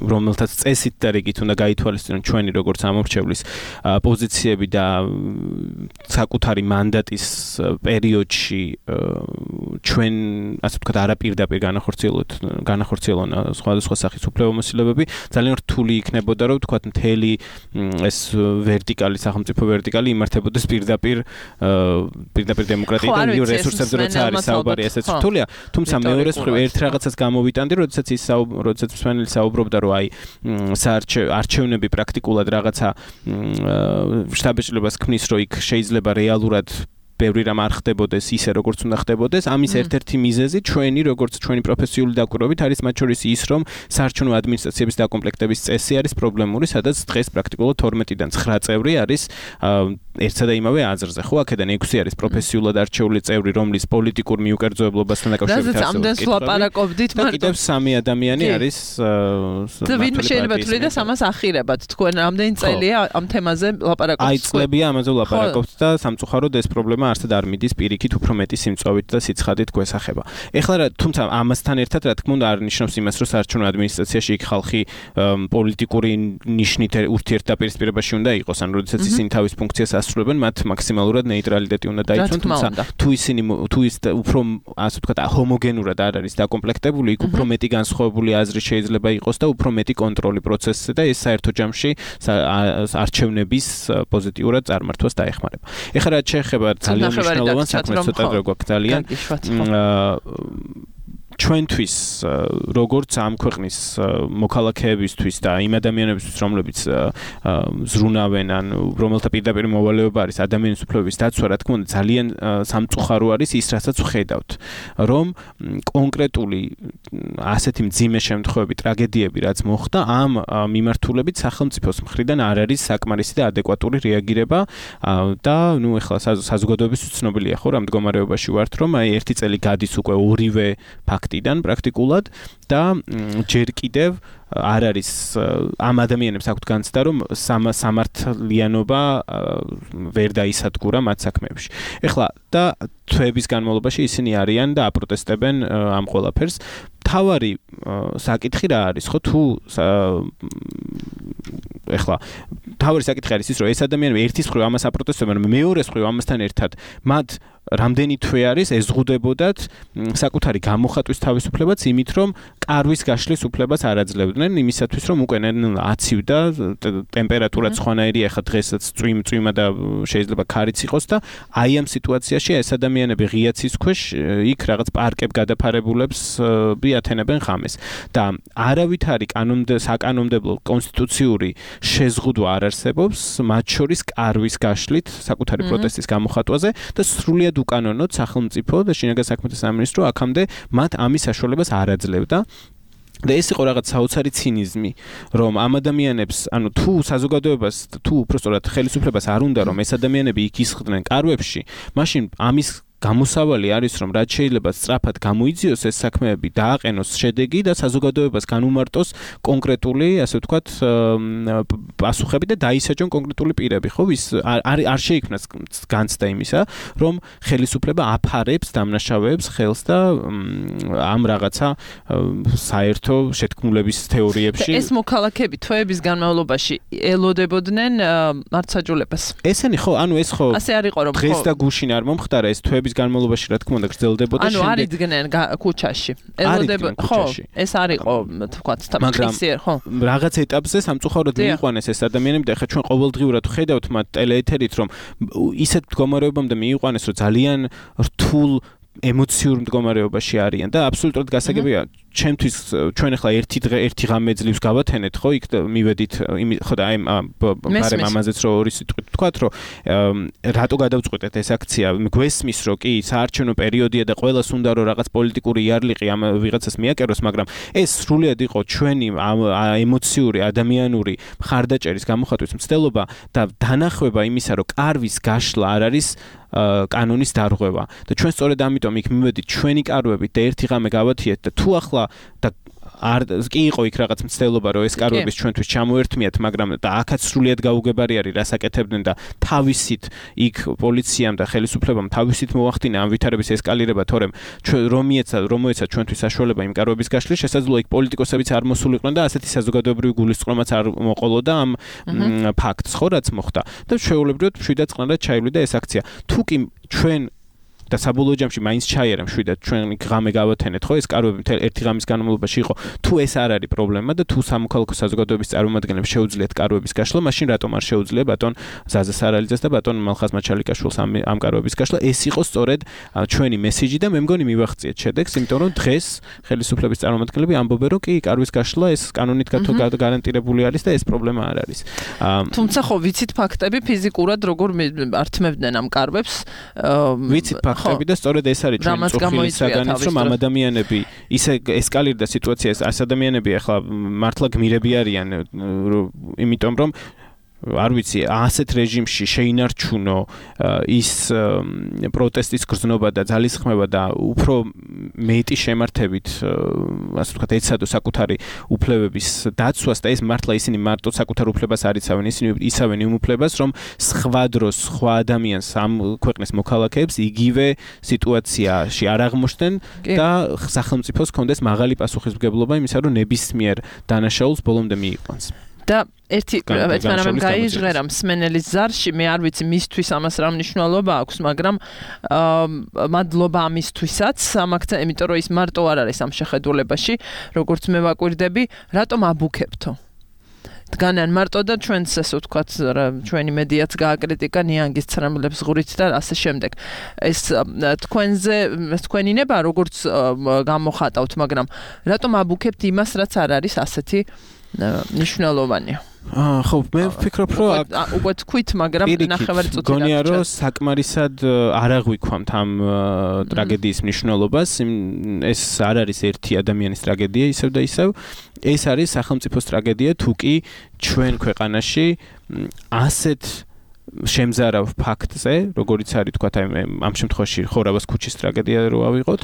S4: რომელთაც წესით და რიგით უნდა გაითვალისწინონ ჩვენი როგორც ამორჩევლის პოზიციები და საკუთარი მანდატის პერიოდში ჩვენ ასე ვთქვათ არაპირდაპირ განახორციელონ სხვადასხვა სახის უფლებამოსილებები, ძალიან რთული იქნებოდა რომ ვთქვათ მთელი ეს ვერტიკალი სახელმწიფო ვერტიკალი იმართებოდეს პირდაპირ დემოკრატიიდან იურ რესურსებზე როცა არის საუბარი ესეც რთულია თუმცა მეორეს მხრივ ერთ რაღაცას გამოვიტანდი როდესაც მსმენელი საუბრობდა რომ აი არჩევნები პრაქტიკულად რაღაცა შტაბ-ეტილებას ქმნის რომ იქ შეიძლება რეალურად ბევრი რამ არ ხდებოდეს ისე როგორც უნდა ხდებოდეს ამის ერთ-ერთი მიზეზი ჩვენი პროფესიული დაკვირვებით არის მათ შორის ის რომ საარჩევნო ადმინისტრაციების დაკომპლექტების წესი არის პრობლემური სადაც დღეს პრაქტიკულად 12-დან 9 წევრი არის ერთსა და იმავე აზრზე ხო აქედან 6 არის პროფესიულად არჩეული წევრი რომლის პოლიტიკურ მიუკერძოებლობასთან დაკავშირებით
S2: არის ამდენს ლაპარაკობდით
S4: მარტო კიდევ 3 ადამიანი არის
S2: და ვინმე შეიძლება თვლიდეს ამას ახირებად თქვენ ამდენი წელია ამ თემაზე ლაპარაკობთ
S4: აი წლებია ამაზე ლაპარაკობთ და სამწუხაროდ ეს პრობლემა არსად არ მიდის პირიქით უფრო მეტი სიმწვავით და სიცხადით გვესახება. ეხლა თუმცა ამასთან ერთად რა თქმა უნდა არ ნიშნავს იმას, რომ საარჩევნო ადმინისტრაციაში იქ ხალხი პოლიტიკური ნიშნით ურთიერთდაპირისპირებაში უნდა იყოს, ან როდესაც ისინი თავის ფუნქციას ასრულებენ, მათ მაქსიმალურად ნეიტრალიტეტი უნდა დაიცვან, თუმცა თუ ის უფრო ასე ვთქვათ ჰომოგენურად არ არის დაკომპლექტებული, იქ უფრო მეტი განსხვავებული აზრი შეიძლება იყოს და უფრო მეტი კონტროლი პროცესზე და ეს საერთო ჯამში არჩევნების პოზიტიურად წარმართვას დაეხმარება. ეხლა რაც შეეხება ძალიან მნიშვნელოვან საქმეს ცოტა დრო გვაქვს ძალიან ჩვენთვის როგორც ამ ქვეყნის მოქალაქეებისთვის და იმ ადამიანებისთვის რომლებიც ზრუნავენ ან რომელთა პირდაპირ მოვალეობა არის ადამიანის უფლებების დაცვა რა თქმა უნდა ძალიან სამწუხარო არის ის რასაც ვხედავთ რომ კონკრეტული ასეთი მძიმე შემთხვევები ტრაგედიები რაც მოხდა ამ მიმართულებით სახელმწიფოს მხრიდან არ არის საკმარისი და ადეკვატური რეაგირება და ნუ ეხლა საზოგადოებისთვის ცნობილია ხო რა მდგომარეობაში ვართ რომ აი ერთი წელი გადის უკვე ორივე ფაქტიდან პრაქტიკულად და ჯერ კიდევ არ არის ამ ადამიანებს აქვთ განცდა რომ სამართლიანობა ვერ დაისადგურა მათ საქმეებში. ეხლა და თვეების განმავლობაში ისინი არიან და აპროტესტებენ ამ ყველაფერს. თავარი საკითხი რა არის ხო თუ ეხლა თავარი საკითხი არის ის რომ ეს ადამიანები ერთის მხრივ ამას აპროტესტებენ, მეორეს მხრივ ამასთან ერთად მათ რამდენი თვე არის ეზღუდებოდათ საკუთარი გამოხატვის თავისუფლებაც იმით რომ კარვის გაშლის უფლებას არ აძლევდნენ იმისათვის რომ უკვე აცივდა ტემპერატურა სხვანაირია ახლა დღესაც წვიმა და შეიძლება ქარიც იყოს და აი ამ სიტუაციაში ეს ადამიანები ღია ცის ქვეშ იქ რაღაც პარკებ გადაფარებულებს ათენებენ ხამეს და არავითარი საკანონმდებლო კონსტიტუციური შეზღუდვა არ არსებობს მათ შორის კარვის გაშლით საკუთარი პროტესტის გამოხატვაზე და სრულიად უკანონოდ სახელმწიფო და შინაგან საქმეთა სამინისტრო აქამდე მათ ამის საშუალებას არ აძლევდა და ეს იყო რაღაც საოცარი ცინიზმი რომ ამ ადამიანებს ანუ თუ საზოგადოებას თუ უბრალოდ ხელისუფლებას არ უნდა რომ ეს ადამიანები იქ ისხდნენ კარვებში მაშინ ამის გამოსავალი არის რომ რაც შეიძლება სწრაფად გამოიძიოს ეს საქმეები დააყენოს შედეგი და საზოგადოებას განუმარტოს კონკრეტული ასე ვთქვათ პასუხები და დაისაჯონ კონკრეტული პირები ხო ვის არ შეიქმნას განცდა იმისა რომ ხელისუფლება აფარებს დამნაშავეებს ხელს და ამ რაღაცა საერთო შეთქმულების თეორიებში
S2: ეს მოქალაქეები თვეების განმავლობაში ელოდებოდნენ მართლმსაჯულებას ესენი
S4: ხო ანუ ეს ხო
S2: ასე არ იყო რომ
S4: დღეს და გუშინ არ მომხდარა ეს თვეების განმავლობაში რა თქმა უნდა გრძელდებოდა
S2: ანუ არ იდგნენ ქუჩაში ელოდებოდნენ ხო ეს არ იყო თქვა თამაშიერ ხო
S4: რაღაც ეტაპზე სამწუხაროდ მიიყვანეს ეს ადამიანები და ხა ჩვენ ყოველდღიურად ხედავთ მათ ტელეეთერით რომ ისეთ მდგომარეობამდე მიიყვანეს რომ ძალიან რთულ ემოციურ მდგომარეობაში არიან და აბსოლუტურად გასაგებია ჩემთვის ჩვენ ახლა ერთი ღამე ძლივს გავათენეთ ხო იქ მივედით ხო და აი ბარემ ამაზეც რო ორი სიტყვით ვთქვათ რომ რატო გადავწყვეტეთ ეს აქცია გვესმის რომ კი საარჩევნო პერიოდია და ყველას უნდა რომ რაღაც პოლიტიკური იარლიყი ამ ვიღაცას მიაკეროს მაგრამ ეს სრულიად იყო ჩვენი ემოციური ადამიანური მხარდაჭერის გამოხატვის მცდელობა და დანახვება იმისა რომ კარვის გაშლა არ არის კანონის დარღვევა და ჩვენ სწორედ ამიტომ იქ მივედით ჩვენი კარვებით და ერთი ღამე გავათიეთ და თუ ახლა და არ კი იყო იქ რაღაც მცდელობა რომ ეს კარვების ჩვენთვის ჩამოერთმიათ მაგრამ და აქაც სრულიად გაუგებარი არის რას აკეთებდნენ და თავისით იქ პოლიციამ და ხელისუფლებამ თავისით მოახდინა ამ ვითარების ესკალირება თორემ რომოეცა ჩვენთვის საშუალება იმ კარვების გაშლის შესაძლოა იქ პოლიტიკოსებიც არ მოსულიყვნენ და ასეთი საზოგადოებრივი გულისწყრომაც არ მოყოლოდა ამ ფაქტს ხო რაც მოხდა და შეუულებრივად მშვიდად წყნარად ჩაივლიდა ეს აქცია თუ კი ჩვენ და საბოლოო ჯამში მაინც ჩაიერა მშვიდად ჩვენ ღამე გავათენეთ ხო ეს კარვები ერთი ღამის განმავლობაში იყო თუ ეს არ არის პრობლემა და თუ სამოქალაქო საზოგადოების წარმომადგენლებს შეუძლიათ კარვების გაშლა მაშინ რატომ არ შეუძლია ბატონ ზაზა სარალიძეს და ბატონ მალხაზ მაჩალიკაშვილს ამ კარვების გაშლა ეს იყო სწორედ ჩვენი მესიჯი და მე მგონი მივახციეთ შედეგს იმიტომ რომ დღეს ხელისუფლების წარმომადგენლები ამბობენ რომ კი კარვის გაშლა ეს კანონით გარანტირებული არის და ეს პრობლემა არ არის
S2: თუმცა ხო ვიცით ფაქტები ფიზიკურად როგორ ართმევდნენ ამ კარვებს
S4: ვიცით და სწორედ ეს არის ჩვენი წუხილი საგანიც რომ ამ ადამიანები ისე ესკალირდა სიტუაცია ეს ადამიანები ახლა მართლა გმირები არიან იმიტომ რომ არ ვიცი, ასეთ რეჟიმში შეინარჩუნო ის პროტესტის გრძნობა და ძალისხმევა და უფრო მეტი შემართებით, ასე ვთქვათ, ეცადო საკუთარი უფლებების დაცვას და ეს მართლა ისინი მარტო საკუთარ უფლებას არ იცავენ, ისინი იცავენ იმ უფლებას, რომ სხვა დროს, სხვა ადამიანს ამ ქვეყნის მოქალაქეებს იგივე სიტუაციაში არ აღმოჩნდნენ და სახელმწიფოს კონდეს მაღალი პასუხისმგებლობა იმისა, რომ ნებისმიერ დანაშაულს ბოლომდე მიიყვანს.
S2: და ერთი ერთმანამ გაიჟღერა მსმენელის ზარში, მე არ ვიცი მისთვის ამას რა მნიშვნელობა აქვს, მაგრამ მადლობა ამისთვისაც, ამაგცა, იმიტომ რომ ის მარტო არ არის ამ შეხედულებაში, როგორც მე ვაკვირდები, რატომ აბუქებთო? დგანან მარტო და ჩვენს ასე ვთქვათ, ჩვენი მედიაც გააკრიტიკა ნიანგის ცრემლებს ღურით და ასე შემდეგ. ეს თქვენი ნება როგორც გამოხატავთ, მაგრამ რატომ აბუქებთ იმას, რაც არ არის ასეთი ნიშნულოვანი?
S4: ხო, მე ვფიქრობ, რომ
S2: უკვე თქვით, მაგრამ ნახევარი წუთი
S4: გონია, რომ საკმარისად არ აღვიქვამთ ამ ტრაგედიის მნიშვნელობას. ეს არ არის ერთი ადამიანის ტრაგედია, ისევ და ისევ. ეს არის სახელმწიფოს ტრაგედია, თუ კი ჩვენ ქვეყანაში ასეთ შემზარავ ფაქტზე, როგორიც არის თქვათ, ამ შემთხვევაში ხორავას ქუჩის ტრაგედია რო ავიღოთ,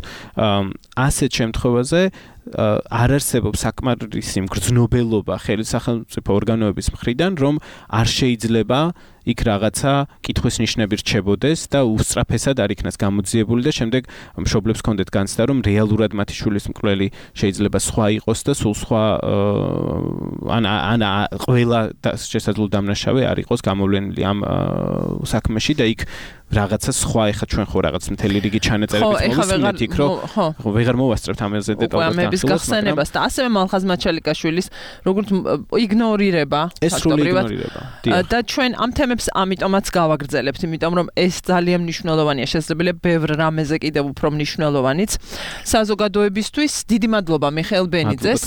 S4: ასეთ შემთხვევაზე არ არსებობს საკმარისი მგრძნობელობა ხელისახელმწიფო ორგანოების მხრიდან, რომ არ შეიძლება იქ რაღაცა კითხვის ნიშნები რჩებოდეს და უსწრაფესად არ იქნას გამოძიებული და შემდეგ მშობლებს კონდეთ განცდა, რომ რეალურად მათი შვილის მკვლელი შეიძლება სხვა იყოს და სულ სხვა ან ყველა შესაძლო დამნაშავე არ იყოს გამოვლენილი ამ საქმეში და იქ რაღაცა სხვა ეხა ჩვენ ხო რაღაც მთელი რიგი ჩანაწერებით მოვისმენთ იქ რომ ხო ვეღარ მოვასწრებთ ამაზე დეტალურად
S2: ამების გახსენებას და ასევე მალხაზ მაჩალიკაშვილის როგორც იგნორირება ფაქტობრივად და ჩვენ ამ თემებს ამიტომაც გავაგრძელებთ, იმიტომ რომ ეს ძალიან მნიშვნელოვანია, შესაძლებელია ბევრ რამეზე კიდევ უფრო მნიშვნელოვანიც. საზოგადოებისთვის დიდი მადლობა მიხეილ ბენიძეს,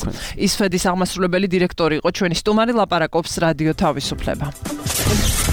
S2: ისფედის აღმასრულებელი დირექტორი იყო ჩვენი სტუმარი, ლაპარაკობს რადიო თავისუფლება.